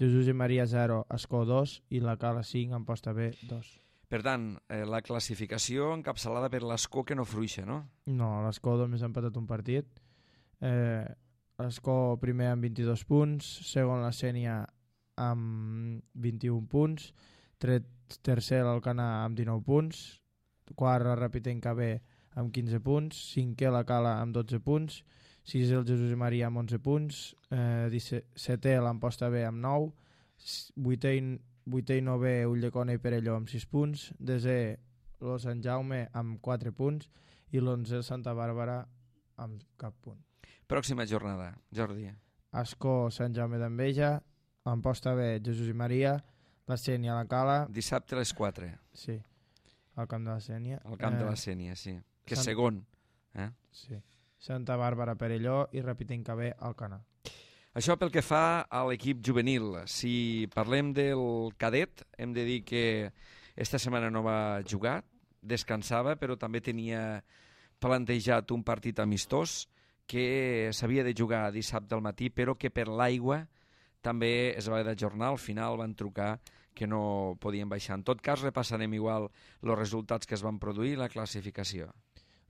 Jesús i Maria zero, Ascó dos i la Cala cinc, Amposta B dos. Per tant, eh, la classificació encapçalada per l'Ascó que no fruixa, no? No, l'Ascó només ha empatat un partit. Eh... Ascó primer amb vint-i-dos punts, segon la Sénia amb vint-i-un punts, tercer l'Alcanar amb dinou punts, quart la Rapitenca B amb quinze punts, cinquè la Cala amb dotze punts, sisè el Jesús i Maria amb onze punts, eh, setè l'Amposta B amb nou, vuitè i, vuitè i novè Ulldecona i Perelló amb sis punts, desè el Sant Jaume amb quatre punts i l'onzè Santa Bàrbara amb cap punt. Pròxima jornada, Jordi. Ascó, Sant Jaume d'Enveja, Amposta B, Jesús i Maria, la Sénia, la Cala... Dissabte a les quatre. Sí, al camp de la Sénia. Al camp eh... de la Sénia, sí. Que és Sant... segon. Eh? Sí. Santa Bàrbara, Perelló i Rapitenca B, Alcanar. Això pel que fa a l'equip juvenil. Si parlem del cadet, hem de dir que esta setmana no va jugar, descansava, però també tenia plantejat un partit amistós que s'havia de jugar dissabte al matí, però que per l'aigua també es va d'ajornar. Al final van trucar que no podien baixar. En tot cas, repassarem igual els resultats que es van produir i la classificació.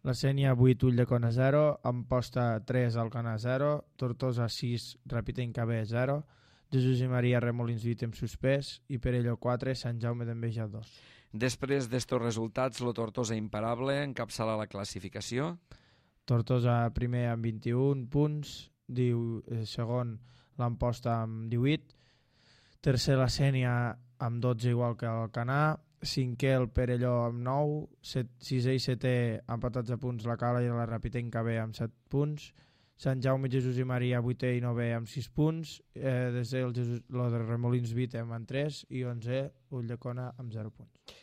La Sénia vuit, Ulldecona zero, Amposta tres, Alcanar zero, Tortosa sis, Rapitenca B zero, Jesús i Maria Remolins vuit amb suspès i Perelló quatre, Sant Jaume d'Enveja dos. Després d'estos resultats, el Tortosa imparable encapçala la classificació. Tortosa primer amb vint-i-un punts, diu, eh, segon l'Amposta amb divuit, tercer la Sénia amb dotze igual que el Canà, cinquè el Perelló amb nou, set, sisè i setè empatats a punts la Cala i la Rapitenca B amb set punts, Sant Jaume, Jesús i Maria vuitè i novè amb sis punts, eh, desè el, Jesús, el de Remolins Vítem amb tres i onzè Ulldecona amb zero punts.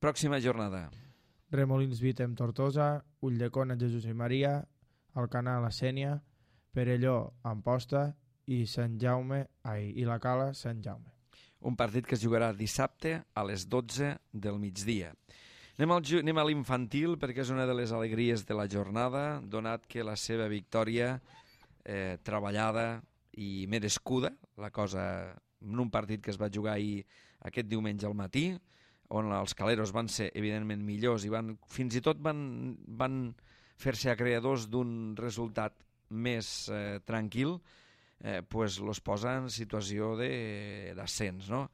Pròxima jornada. Remolins Vítem Tortosa, Ulldecona, Jesús i Maria, Alcanar la Sénia, Perelló Amposta i Sant Jaume ai, i la Cala Sant Jaume. Un partit que es jugarà dissabte a les dotze del migdia. Anem, al, anem a l'infantil perquè és una de les alegries de la jornada, donat que la seva victòria eh, treballada i merescuda, la cosa en un partit que es va jugar ahir aquest diumenge al matí, on els caleros van ser evidentment millors i van, fins i tot van, van fer-se acreedors d'un resultat més eh, tranquil, eh, pues los posa en situació d'ascens, no?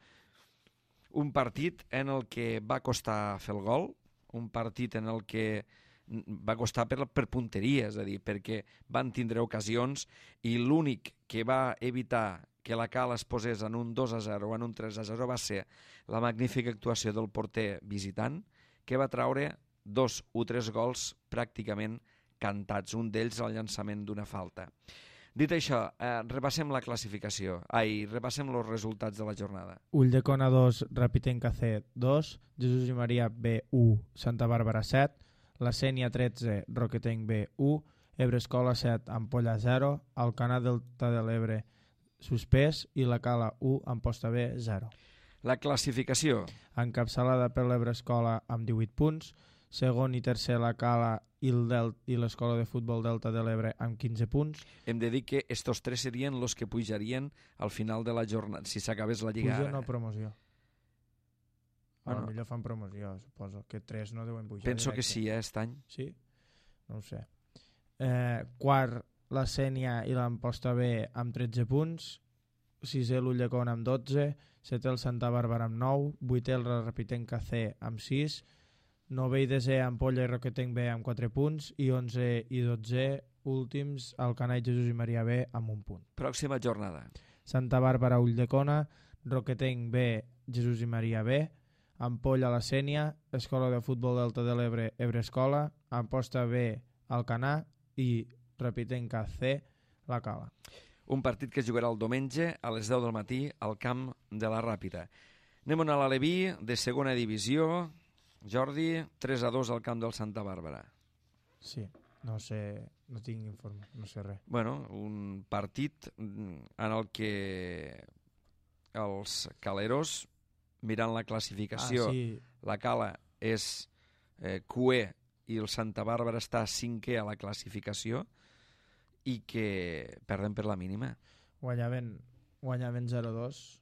Un partit en el que va costar fer el gol, un partit en el que va costar per, per punteria, és a dir, perquè van tindre ocasions i l'únic que va evitar que la Cala es posés en un dos a zero o en un tres a zero va ser la magnífica actuació del porter visitant, que va traure dos o tres gols pràcticament cantats, un d'ells al llançament d'una falta. Dit això, eh, repassem la classificació. Ai, repassem els resultats de la jornada. Ulldecona dos, Rapitenca C dos, Jesús i Maria B u, Santa Bàrbara set, la Sénia tretze, Roquetenc B u, Ebrescola set, Ampolla zero, Alcanar Delta de l'Ebre suspès i la Cala u, Amposta B zero. La classificació. Encapçalada per l'Ebrescola amb divuit punts, segon i tercer la Cala i l'Escola de Futbol Delta de l'Ebre amb quinze punts. Hem de dir que estos tres serien els que pujarien al final de la jornada, si s'acabés la Lliga. Puja no promoció. A Bueno, lo millor fan promoció, suposo. Que tres no deuen pujar. penso directe. que sí, eh, aquest any. Sí? No ho sé. Eh, quart, la Sénia i l'Amposta B amb tretze punts, sisè l'Ulldecona amb dotze, setè el Santa Bàrbara amb nou, vuitè el Rapitenca C amb sis, novè i desè Ampolla i Roquetenc B amb quatre punts i onze i dotze últims Alcanar, Jesús i Maria B amb un punt. Pròxima jornada. Santa Bàrbara, Ulldecona, Roquetenc B, Jesús i Maria B, Ampolla, la Sénia, Escola de Futbol Delta de l'Ebre, Ebrescola, Amposta B, Alcanar i Rapitenca C, la Cala. Un partit que es jugarà el diumenge a les deu del matí al camp de la Ràpita. Anem a l'Aleví de segona divisió. Jordi, tres a dos al camp del Santa Bàrbara. Sí, no sé, no tinc informe, no sé res. Bueno, un partit en el que els caleros, mirant la classificació, Ah, sí, la Cala és eh, cuer i el Santa Bàrbara està cinquè a la classificació i que perden per la mínima. guanyaven, guanyaven zero a dos,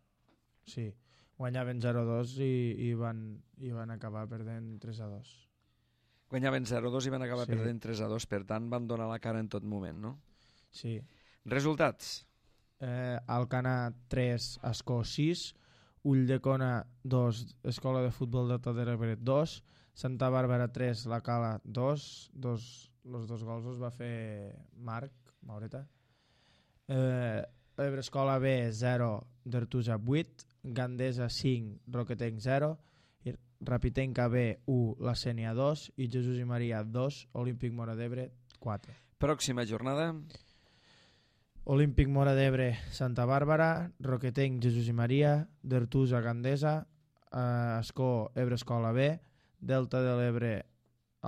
sí, guanyaven zero a dos i, i, van, i van acabar perdent tres a dos. Guanyaven zero a dos i van acabar Sí. perdent tres a dos, per tant van donar la cara en tot moment, no? Sí. Resultats. Eh, Alcanar tres, Ascó sis, Ulldecona dos, Escola de Futbol Delta de l'Ebre dos, Santa Bàrbara tres, la Cala dos, dos els dos gols els va fer Marc Maureta. Eh, Ebrescola B zero, Dertusa vuit, Gandesa cinc, Roquetenc zero, i Rapitenca B u, la Sénia dos i Jesús i Maria dos, Olímpic Mora d'Ebre quatre. Pròxima jornada. Olímpic Mora d'Ebre, Santa Bàrbara, Roquetenc, Jesús i Maria, Dertusa, Gandesa, eh, Ascó, Ebrescola B, Delta de l'Ebre,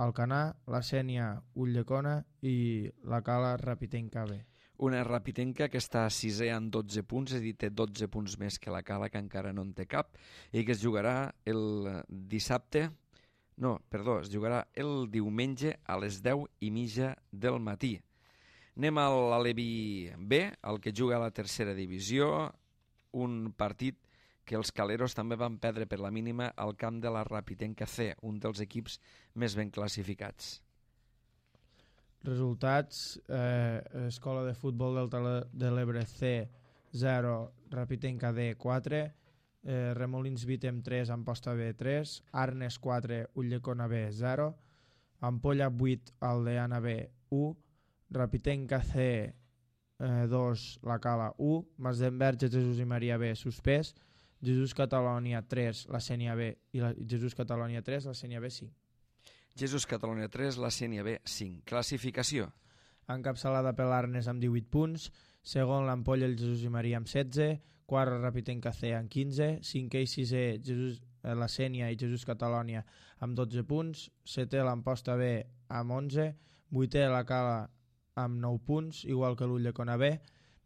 Alcanar, la Sénia, Ulldecona i la Cala, Rapitenca B. Una Rapitenca que està sisè amb dotze punts, és a dir, té dotze punts més que la Cala, que encara no en té cap, i que es jugarà el dissabte, no, perdó, es jugarà el diumenge a les deu i mitja del matí. Anem a l'Aleví B, el que juga a la tercera divisió, un partit que els caleros també van perdre per la mínima al camp de la Rapitenca C, un dels equips més ben classificats. Resultats, eh, Escola de Futbol Delta de l'Ebre C zero, Rapitenca D quatre, eh, Remolins Vítem tres, Amposta B tres, Arnes quatre, Ulldecona B zero, Ampolla vuit, Aldeana B u, Rapitenca C eh, dos, La Cala u, Masdenverge Jesús i Maria B suspès, Jesús Catalònia tres, la Sénia B i la, Jesús Catalònia tres, la Sénia B cinc. Jesús Catalònia tres, la Sénia B cinc. Classificació. Encapçalada per l'Arnes amb divuit punts, segon l'Ampolla el Jesús i Maria amb setze, quart Rapitenca C amb quinze, cinquè i sisè Jesús, eh, la Sénia i Jesús Catalònia amb dotze punts, setè l'Amposta B amb onze, vuitè la Cala amb nou punts, igual que l'Ulldecona B,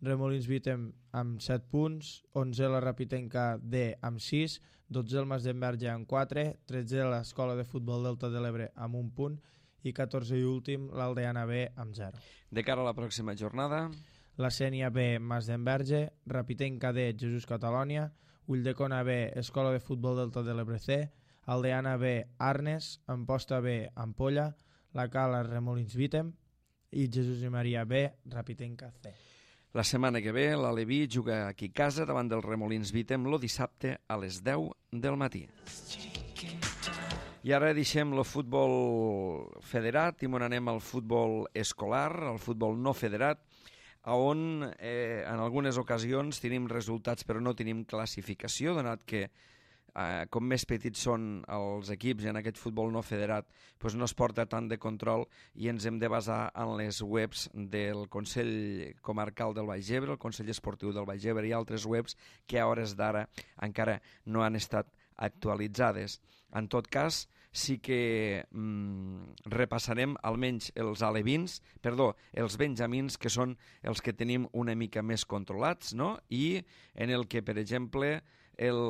Remolins Vítem amb set punts, onze la Rapitenca D amb sis, dotze el Masdenverge amb quatre, tretze l'Escola de Futbol Delta de l'Ebre amb un punt i catorze i últim l'Aldeana B amb zero. De cara a la pròxima jornada... La Sénia B, Masdenverge, Rapitenca D, Jesús Catalònia, Ulldecona B, Escola de Futbol Delta de l'Ebre C, Aldeana B, Arnes, Amposta B, Ampolla, La Cala, Remolins Vítem i Jesús i Maria B, Rapitenca C. La setmana que ve l'Aleví juga aquí a casa davant del Remolins Vítem el dissabte a les deu del matí. I ara deixem el futbol federat i m'on anem al futbol escolar, al futbol no federat, on eh, en algunes ocasions tenim resultats però no tenim classificació, donat que eh, com més petits són els equips en aquest futbol no federat, doncs no es porta tant de control i ens hem de basar en les webs del Consell Comarcal del Baix Ebre, el Consell Esportiu del Baix Ebre i altres webs que a hores d'ara encara no han estat actualitzades. En tot cas, sí que mm, repassarem almenys els alevins, perdó, els benjamins, que són els que tenim una mica més controlats, no? I en el que, per exemple, el,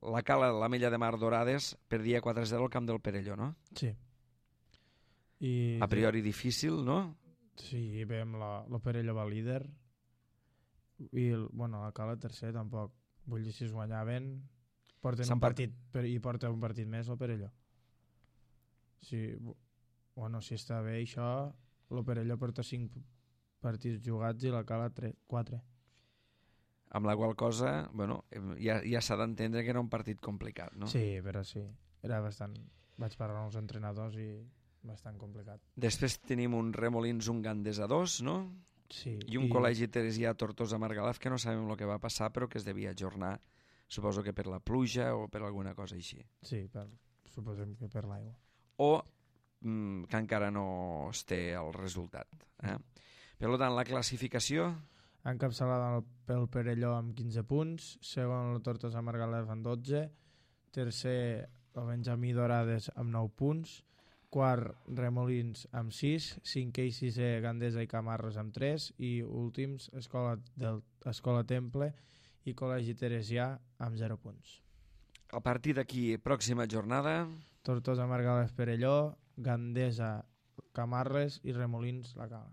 la Cala de l'Ametlla de Mar Dorades perdia quatre a zero al camp del Perelló, no? Sí. I a priori difícil, no? Sí, veiem la, la Perelló va líder i el, bueno, la Cala tercer tampoc. Vull dir, si es guanyaven porten un partit per, i porta un partit més el Perelló. Si, bueno, si està bé això, el Perelló porta cinc partits jugats i la Cala quatre. Amb la qual cosa, bueno, ja, ja s'ha d'entendre que era un partit complicat, no? Sí, però sí, era bastant... Vaig parlar amb els entrenadors i bastant complicat. Després tenim un Remolins, un Gandesa dos, no? Sí. I un i... col·legi Teresià Tortosa Margalef, que no sabem el que va passar, però que es devia ajornar, suposo que per la pluja o per alguna cosa així. Sí, per, suposem que per l'aigua. O mm, que encara no es té el resultat. Eh? Per tant, la classificació... Encapçalada pel Perelló amb quinze punts, segon el Tortosa Margalef amb dotze, tercer el Benjamí Dorades amb nou punts, quart Remolins amb sis, cinquè i sisè Gandesa i Camarles amb tres i últims Escola, del, Escola Temple i Col·legi Teresià amb zero punts. A partir d'aquí, pròxima jornada... Tortosa Margalef Perelló, Gandesa Camarles i Remolins La Cala.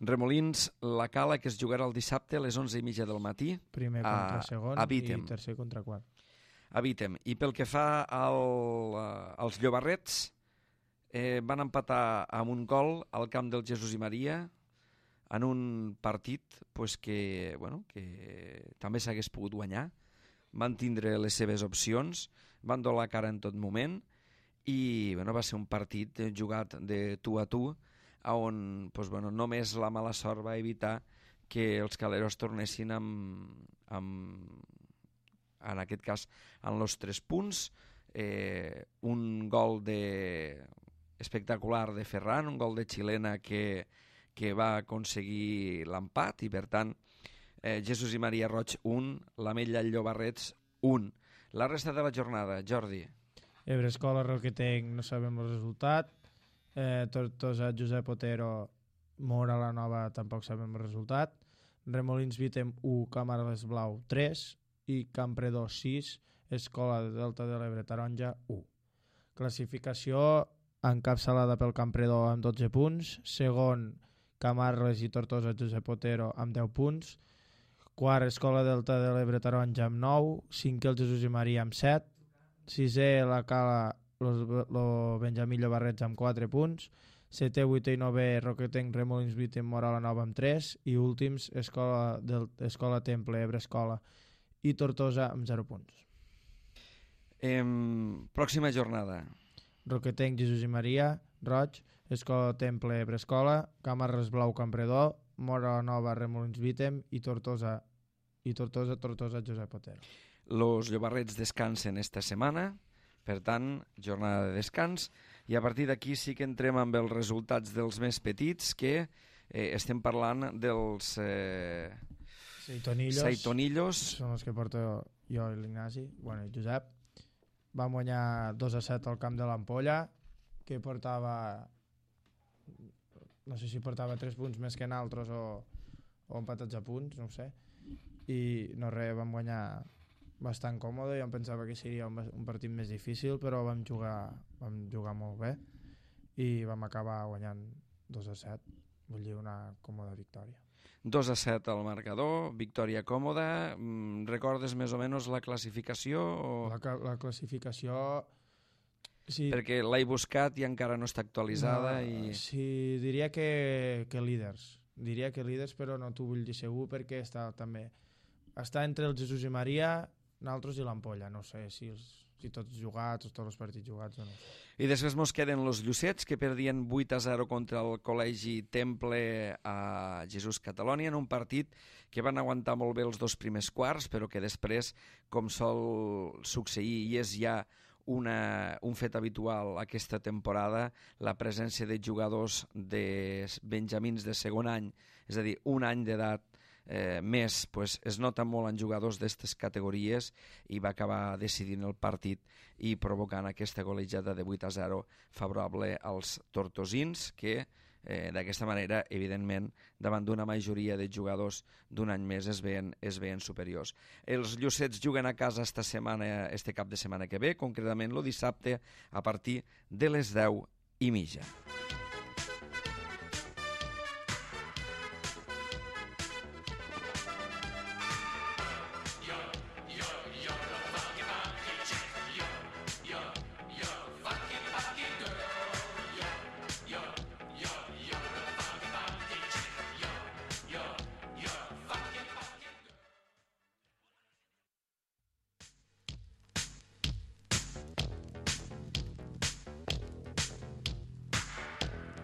Remolins La Cala, que es jugarà el dissabte a les onze i mitja del matí. Primer contra a, segon a i tercer contra quart. A Vítem. I pel que fa al, als Llobarrets, eh, van empatar amb un gol al camp del Jesús i Maria en un partit pues, que, bueno, que també s'hagués pogut guanyar. Van tindre les seves opcions, van donar la cara en tot moment i bueno, va ser un partit jugat de tu a tu on pues, bueno, només la mala sort va evitar que els caleros tornessin amb, amb en aquest cas en els tres punts, eh, un gol de... espectacular de Ferran, un gol de xilena que, que va aconseguir l'empat i per tant eh, Jesús i Maria Roig un, l'Ametlla Llobarrets un. La resta de la jornada, Jordi. Ebre Escola Roquetenc, no sabem el resultat. Eh, Tortosa Josep Otero, Mora la Nova, tampoc sabem el resultat. Remolins Vítem u, Camarles Blau tres i Campredó sis, Escola de Delta de l'Ebre Taronja u. Classificació encapçalada pel Campredó amb dotze punts, segon Camarles i Tortosa Josep Otero amb deu punts, quart Escola Delta de l'Ebre Taronja amb nou, cinquè el Jesús i Maria amb set, sisè la Cala el Benjamí Llobarrets amb quatre punts, setè, vuitè i novè Roquetenc Remolins Vítem Mora la Nova amb tres i últims Escola, del, Escola Temple Ebre Escola i Tortosa amb zero punts. Eh, pròxima jornada. Roquetenc Jesús i Maria, Roig, Escola Temple Brescola, Camarres Blau Campredó, Mora Nova Remolins Vitem i Tortosa i Tortosa Tortosa Josep Otero. Los llobarrets descansen esta setmana, per tant, jornada de descans, i a partir d'aquí sí que entrem amb els resultats dels més petits, que eh, estem parlant dels eh, Seitonillos, Seitonillos. Són els que porto jo i l'Ignasi, bueno, i Josep. Vam guanyar dos a set al camp de l'Ampolla, que portava, no sé si portava tres punts més que naltros o, o empatats a punts, no ho sé. I no res, vam guanyar bastant còmode. Jo em pensava que seria un, un partit més difícil, però vam jugar, vam jugar molt bé i vam acabar guanyant dos a set, vull dir, una còmoda victòria. dos a set al marcador, victòria còmoda. Recordes més o menys la classificació? O... La, la classificació... Sí, perquè l'he buscat i encara no està actualitzada. No, i... sí, diria que, que líders. Diria que líders, però no t'ho vull dir segur perquè està també... Està entre el Jesús i Maria, nosaltres i l'Ampolla. No sé si, els, si tots jugats, tots els partits jugats o no. I després mos queden los Llucets, que perdien vuit a zero contra el Col·legi Temple a Jesús Catalònia, en un partit que van aguantar molt bé els dos primers quarts, però que després, com sol succeir, i és ja una, un fet habitual aquesta temporada, la presència de jugadors de benjamins de segon any, és a dir, un any d'edat eh, més, pues, es nota molt en jugadors d'aquestes categories i va acabar decidint el partit i provocant aquesta golejada de vuit a zero favorable als tortosins, que eh, d'aquesta manera, evidentment, davant d'una majoria de jugadors d'un any més es veien, es veien superiors. Els Llucets juguen a casa esta setmana, este cap de setmana que ve, concretament el dissabte a partir de les deu i mitja.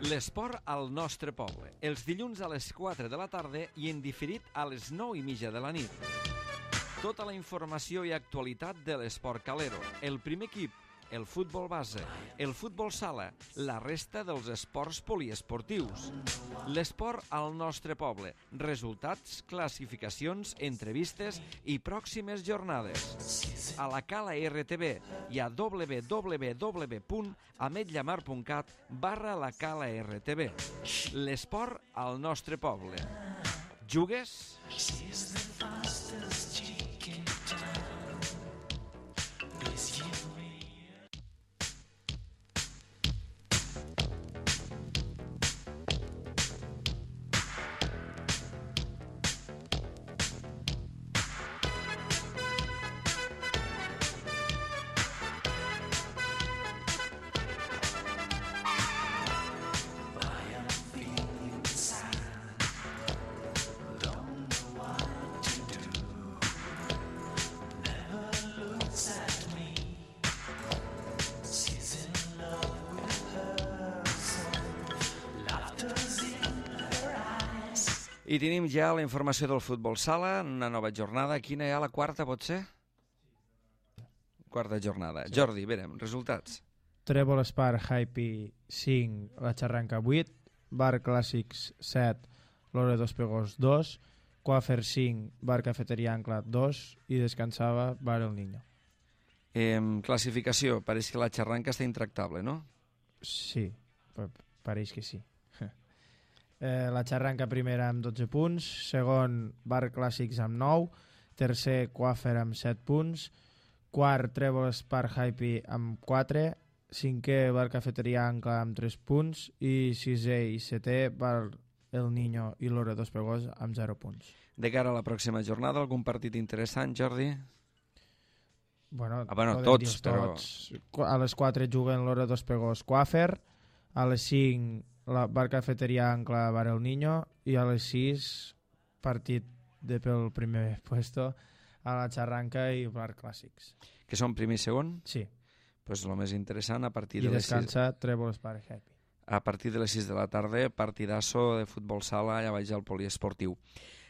L'esport al nostre poble, els dilluns a les quatre de la tarda i en diferit a les nou i mitja de la nit. Tota la informació i actualitat de l'esport calero, el primer equip, el futbol base, el futbol sala, la resta dels esports poliesportius. L'esport al nostre poble, resultats, classificacions, entrevistes i pròximes jornades. A la Cala R T V i a w w w punt ametllamar punt cat barra la Cala R T V. L'esport al nostre poble. Jugues? I tenim ja la informació del futbol sala, una nova jornada. Quina hi ha, la quarta, pot ser? Quarta jornada. Sí. Jordi, verem, resultats. Trèvol Espar Hype cinc, la Xarranca vuit, Bar Clàssics set, Lore dos Pegós dos, Coafer cinc, Bar Cafeteria Ancla dos i descansava Bar El Niño. Eh, classificació, pareix que la Xarranca està intractable, no? Sí, pareix que sí. Eh, la Xarranca primera amb dotze punts, segon Bar Clàssics amb nou, tercer Coafer amb set punts, quart Trèvol Espar Hype amb quatre, cinquè Bar Cafeteria Ancla amb tres punts i sisè i setè Bar El Niño i Lore dos Pegós amb zero punts. De cara a la pròxima jornada, algun partit interessant, Jordi? Bueno, ah, bueno tots, però... Tots. A les quatre juguen Lore dos Pegós Coafer, a les cinc la Bar Cafeteria Ancla Bar El Niño i a les sis partit de pel primer puesto a la Xarranca i Bar Clàssics. Que són primer i segon? Sí. Pues el més interessant a partir I de les sis... I descansa Trèvol Espar Happy. a partir de les sis de la tarda, partidasso de futbol sala allà baix al poliesportiu.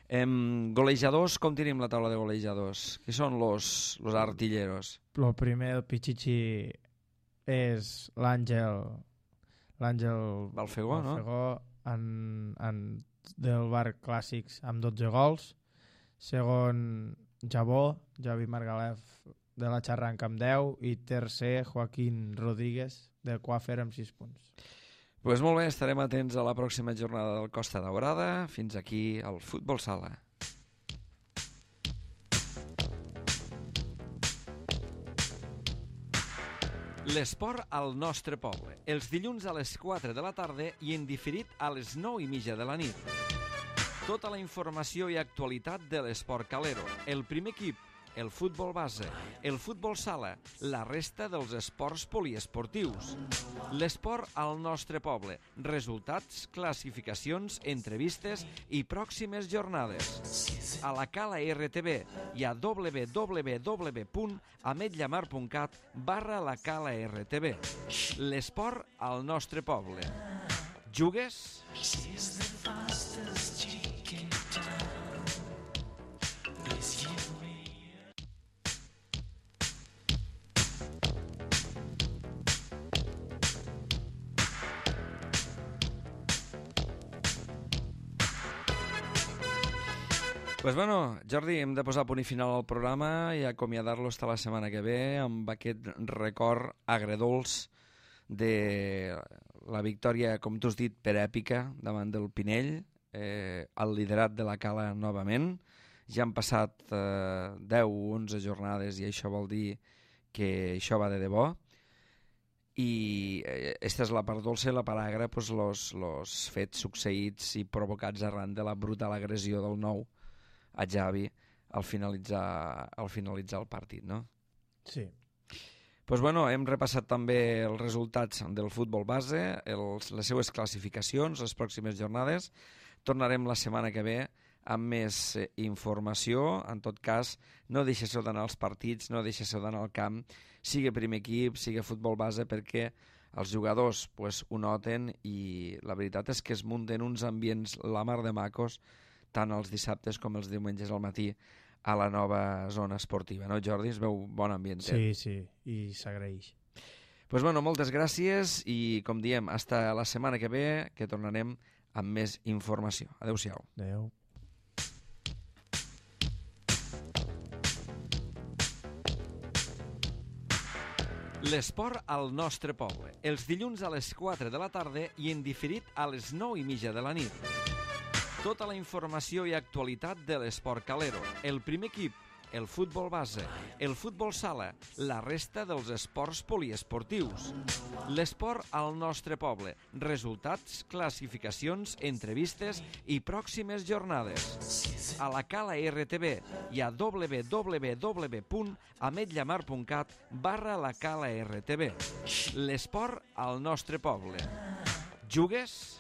Em, golejadors, com tenim la taula de golejadors? Qui són los, los artilleros? El primer, el Pichichi, és l'Àngel l'Àngel Balfegó, no? Balfegó en, en, del Bar Clàssics amb dotze gols. Segon, Jabó, Javi Margalef de la Xarranca amb deu, i tercer, Joaquín Rodríguez de Coafer amb sis punts. Pues molt bé, estarem atents a la pròxima jornada del Costa Daurada. Fins aquí el Futbol Sala. L'esport al nostre poble. Els dilluns a les quatre de la tarda i en diferit a les nou i mitja de la nit. Tota la informació i actualitat de l'esport calero. El primer equip, el futbol base, el futbol sala, la resta dels esports poliesportius. L'esport al nostre poble. Resultats, classificacions, entrevistes i pròximes jornades. A la Cala R T V i a w w w punt ametlllamar punt cat barra la Cala R T V. L'esport al nostre poble. Jugues? Pues bueno, Jordi, hem de posar punt i final al programa i acomiadar-lo fins la setmana que ve amb aquest record agredolç de la victòria, com tu has dit, per èpica davant del Pinell, eh, el liderat de la Cala novament. Ja han passat eh, deu o onze jornades i això vol dir que això va de debò. I aquesta és la part dolça i la part agra, pues, los, los fets succeïts i provocats arran de la brutal agressió del nou a Javi al finalitzar, al finalitzar el partit, no? Sí. Pues bueno, hem repassat també els resultats del futbol base, els, les seues classificacions, les pròximes jornades. Tornarem la setmana que ve amb més eh, informació. En tot cas, no deixeu d'anar als partits, no deixeu d'anar al camp, sigui primer equip, sigui futbol base, perquè els jugadors pues, ho noten i la veritat és que es munten uns ambients la mar de macos, tant els dissabtes com els diumenges al matí a la nova zona esportiva, no, Jordi? Es veu bon ambient. Sí, sí, i s'agraeix. Pues bueno, moltes gràcies i, com diem, hasta la setmana que ve, que tornarem amb més informació. Adéu-siau. Adéu. L'esport al nostre poble. Els dilluns a les quatre de la tarda i en diferit a les nou i mitja de la nit. Tota la informació i actualitat de l'esport calero. El primer equip, el futbol base, el futbol sala, la resta dels esports poliesportius. L'esport al nostre poble. Resultats, classificacions, entrevistes i pròximes jornades. A la Cala R T V i a w w w punt ametlllamar punt cat barra la Cala R T V. L'esport al nostre poble. Jugues?